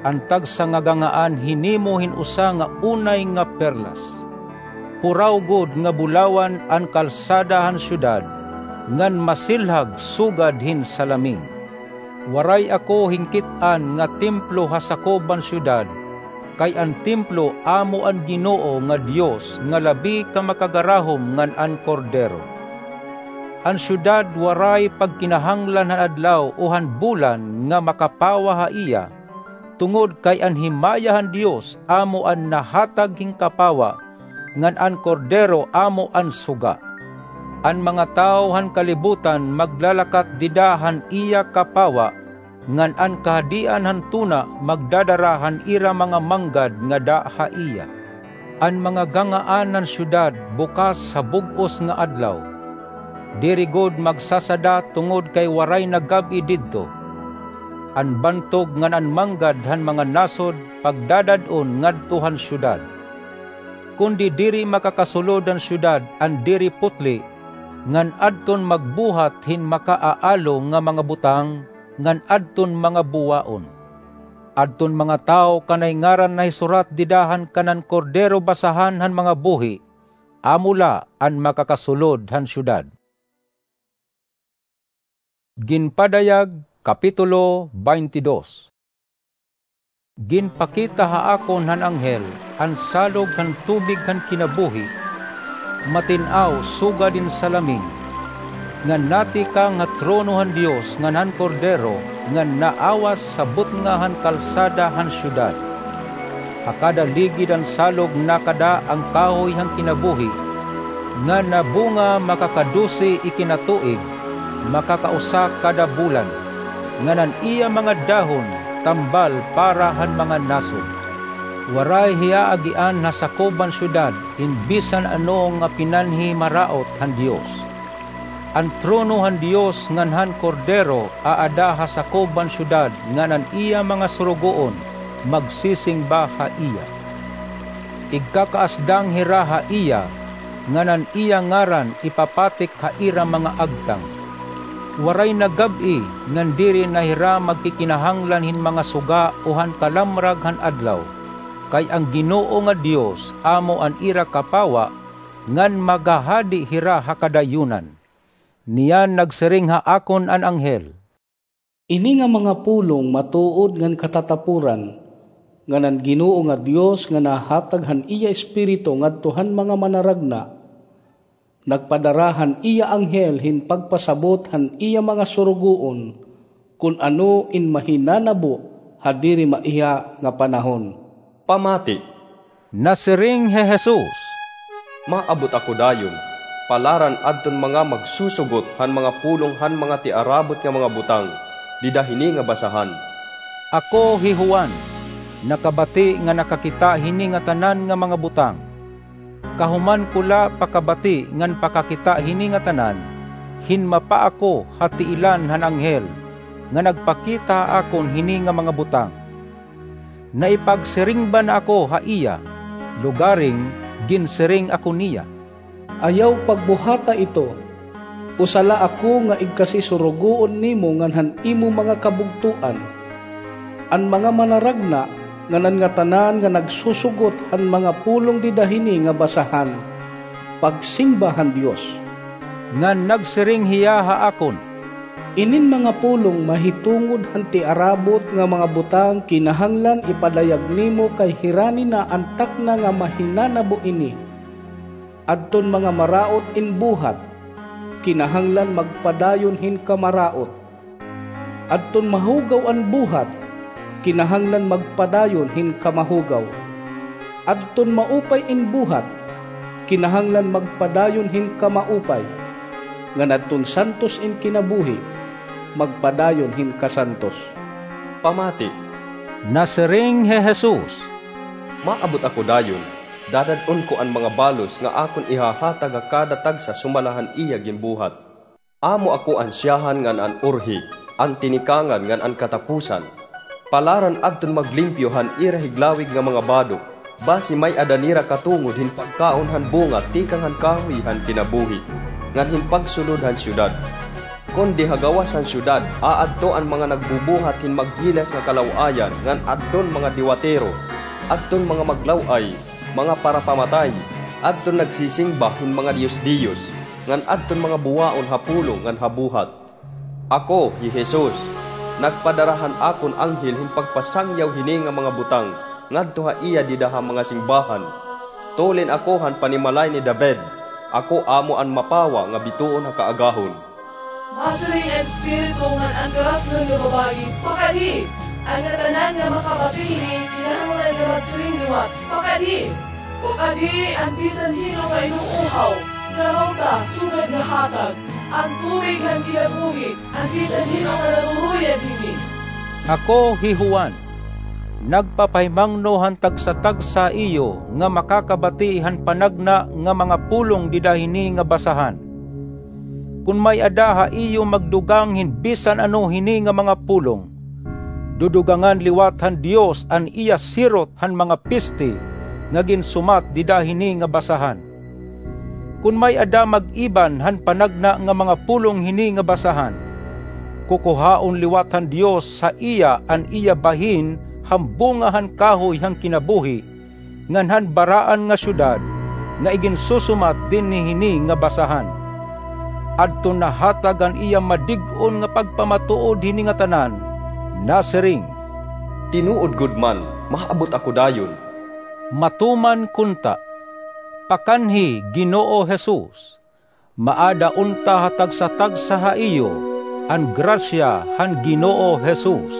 an tagsa nga ganghaan hinimo hin usa nga unay nga perlas. Puraw gud nga bulawan an kalsada han syudad, ngan masilhag sugad hin salamin. Waray ako hinkit-an nga templo ha sakob han syudad, kay an templo amo an Ginoo nga Dios nga labi ka makagarahom ngan an Kordero. An syudad waray pagkinahanglan han adlaw o han bulan nga makapawa ha iya, tungod kay an himaya han Dios amo an nahatag hin kapawa, ngan an Kordero amo an suga. An mga tawo han kalibutan maglalakat dida han iya kapawa, ngan an kahadian han tuna magdadara han ira mga manggad ngada ha iya. An mga ganghaan han syudad bukas ha bug-os nga adlaw. Diri gud magsasada tungod kay waray na gab-i didto. An bantog ngan an manggad han mga nasod pagdadad-on ngadto han syudad. Kundi diri makakasulod han syudad an diri putli, ngan adton magbuhat hin makaaalo nga mga butang, ngan adton mga buwaon. Adton mga tawo kanay ngaran nahisurat dida han kanan Kordero basahan han mga buhi, amo la an makakasulod han syudad. Ginpadayag, Kapitulo twenty-two. Ginpakita ha akon han anghel an salog han tubig han kinabuhi, matin-aw sugad hin salamin, ngan natikang ha trono han Dios ngan han Kordero, ngan naawas sa butnga han kalsada han syudad. Ha kada ligid han salog nakada an kahoy han kinabuhi, nga nabunga makakadose ikinatuig, makakausa kada bulan, ngan an iya mga dahon tambal para han mga nasod. Waray hiya agian ha sakob han syudad hin bisan ano nga pinanhimaraot han Dios. An trono han Dios ngan han Kordero aada ha sakob han syudad, ngan an iya mga surugoon magsisingba ha iya. Igkakaasdang hira ha iya, ngan an iya ngaran ipapatik ha ira mga agtang. Waray na gab-i ngan diri na hira magkikinahanglan hin mga suga o han kalamrag han adlaw, kay an Ginoo nga Dios amo an ira kapawa, ngan maghahadi hira ha kadayunan. Niyan nagsiring ha akon an anghel, "Ini nga mga pulong matuod ngan katatapuran, ngan an Ginoo nga Dios nga nahatag han iya Espiritu ngadto han mga manaragna, nagpadara han iya anghel hin pagpasabot han iya mga surugoon kon ano in mahinanabo ha diri maiha nga panahon. Pamati. Nasiring hi Jesus, "Maabot ako dayon, palaran adton mga magsusugot han mga pulong han mga tiarabot nga mga butang dida hini nga basahan." Ako hi Juan, nakabati nga nakakita hini nga tanan nga mga butang. Kahuman ko la pakabati ngan pakakita hini nga tanan, hinmapa ako ha tiilan han anghel nga nagpakita ha akon hini nga mga butang. Naipagsiring ba na ako ha iya, lugaring ginsiring ako niya, "Ayaw pagbuhata ito. Usa la ako nga igkasisurugoon nimo ngan han imo mga kabugtoan. An mga manaragna ngan an ngatanan nga nagsusugot han mga pulong dida hini nga basahan, pagsingba han Dios." Ngan nagsiring hiya ha akon, "Inin mga pulong mahitungod han tiarabot nga mga butang kinahanglan ipadayag nimo kay hirani na an takna nga mahinanabo ini. Adton mga maraot in buhat, kinahanglan magpadayon hin kamaraot. Adton mahugaw an buhat, kinahanglan magpadayon hin kamahugaw. Adton maupay in buhat, kinahanglan magpadayon hin kamaupay. Ngan adton santos in kinabuhi, magpadayon hin kasantos." Pamati. Nasiring hi Jesus, "Maabot ako dayon, dadad-on ko an mga balos nga akon ihahatag ha kada tagsa sumala han iya ginbuhat. Amo ako an siyahan ngan an urhi, an tinikangan ngan an katapusan. Palaran adton maglimpyo han ira higlawig nga mga badok, basi may-ada nira katungod hin pagkaon han bunga tikang han kahoy han kinabuhi, ngan hin pagsulod han syudad. Kundi ha gawas han syudad, aadto an mga nagbubuhat hin maghilas nga kalaw-ayan, ngan adton mga diwatero, adton mga maglaw-ay, mga parapamatay, adton nagsisingba hin mga diyos-diyos, ngan adton mga buwaon ha pulong ngan ha buhat. Ako, hi Jesus, nagpadara han akon anghel hin pagpasangyaw hini nga mga butang ngadto ha iya dida ha mga singbahan. Tulin ako han panimalay ni David, ako amo an mapawa nga bituon ha kaagahon." Masiring an Espiritu ngan an karaslan nga babayi, "Pakadi! An ngatanan nga makabati hini kinahanglan nga magsiring liwat, 'Pakadi!' Pakadi an bisan hin-o nga inuuhaw, kalaw ta sugad nga hatag an tubig han kinabuhi an bisan hin-o nga naruruyag hini." Ako hi Juan, nagpapahimangno han tagsa-tagsa ha iyo nga makakabati han panagna nga mga pulong dida hini nga basahan. Kon may-ada ha iyo magdugang hin bisan ano hini nga mga pulong, dudugangan liwat han Dios an iya sirot han mga piste nga ginsumat dida hini nga basahan. Kon may-ada mag-iban han panagna nga mga pulong hini nga basahan, kukuhaon liwat han Dios ha iya an iya bahin han bunga han kahoy han kinabuhi, ngan han baraan nga syudad nga iginsusumat dinhi hini nga basahan. Adton nahatag an iya madig-on nga pagpamatuod hini ngatanan, nasiring, "Tinuod gud man, maabot ako dayon." Matuman kunta, pakanhi, Ginoo Jesus, maada unta ha tagsa-tagsa ha iyo an grasya han Ginoo Jesus.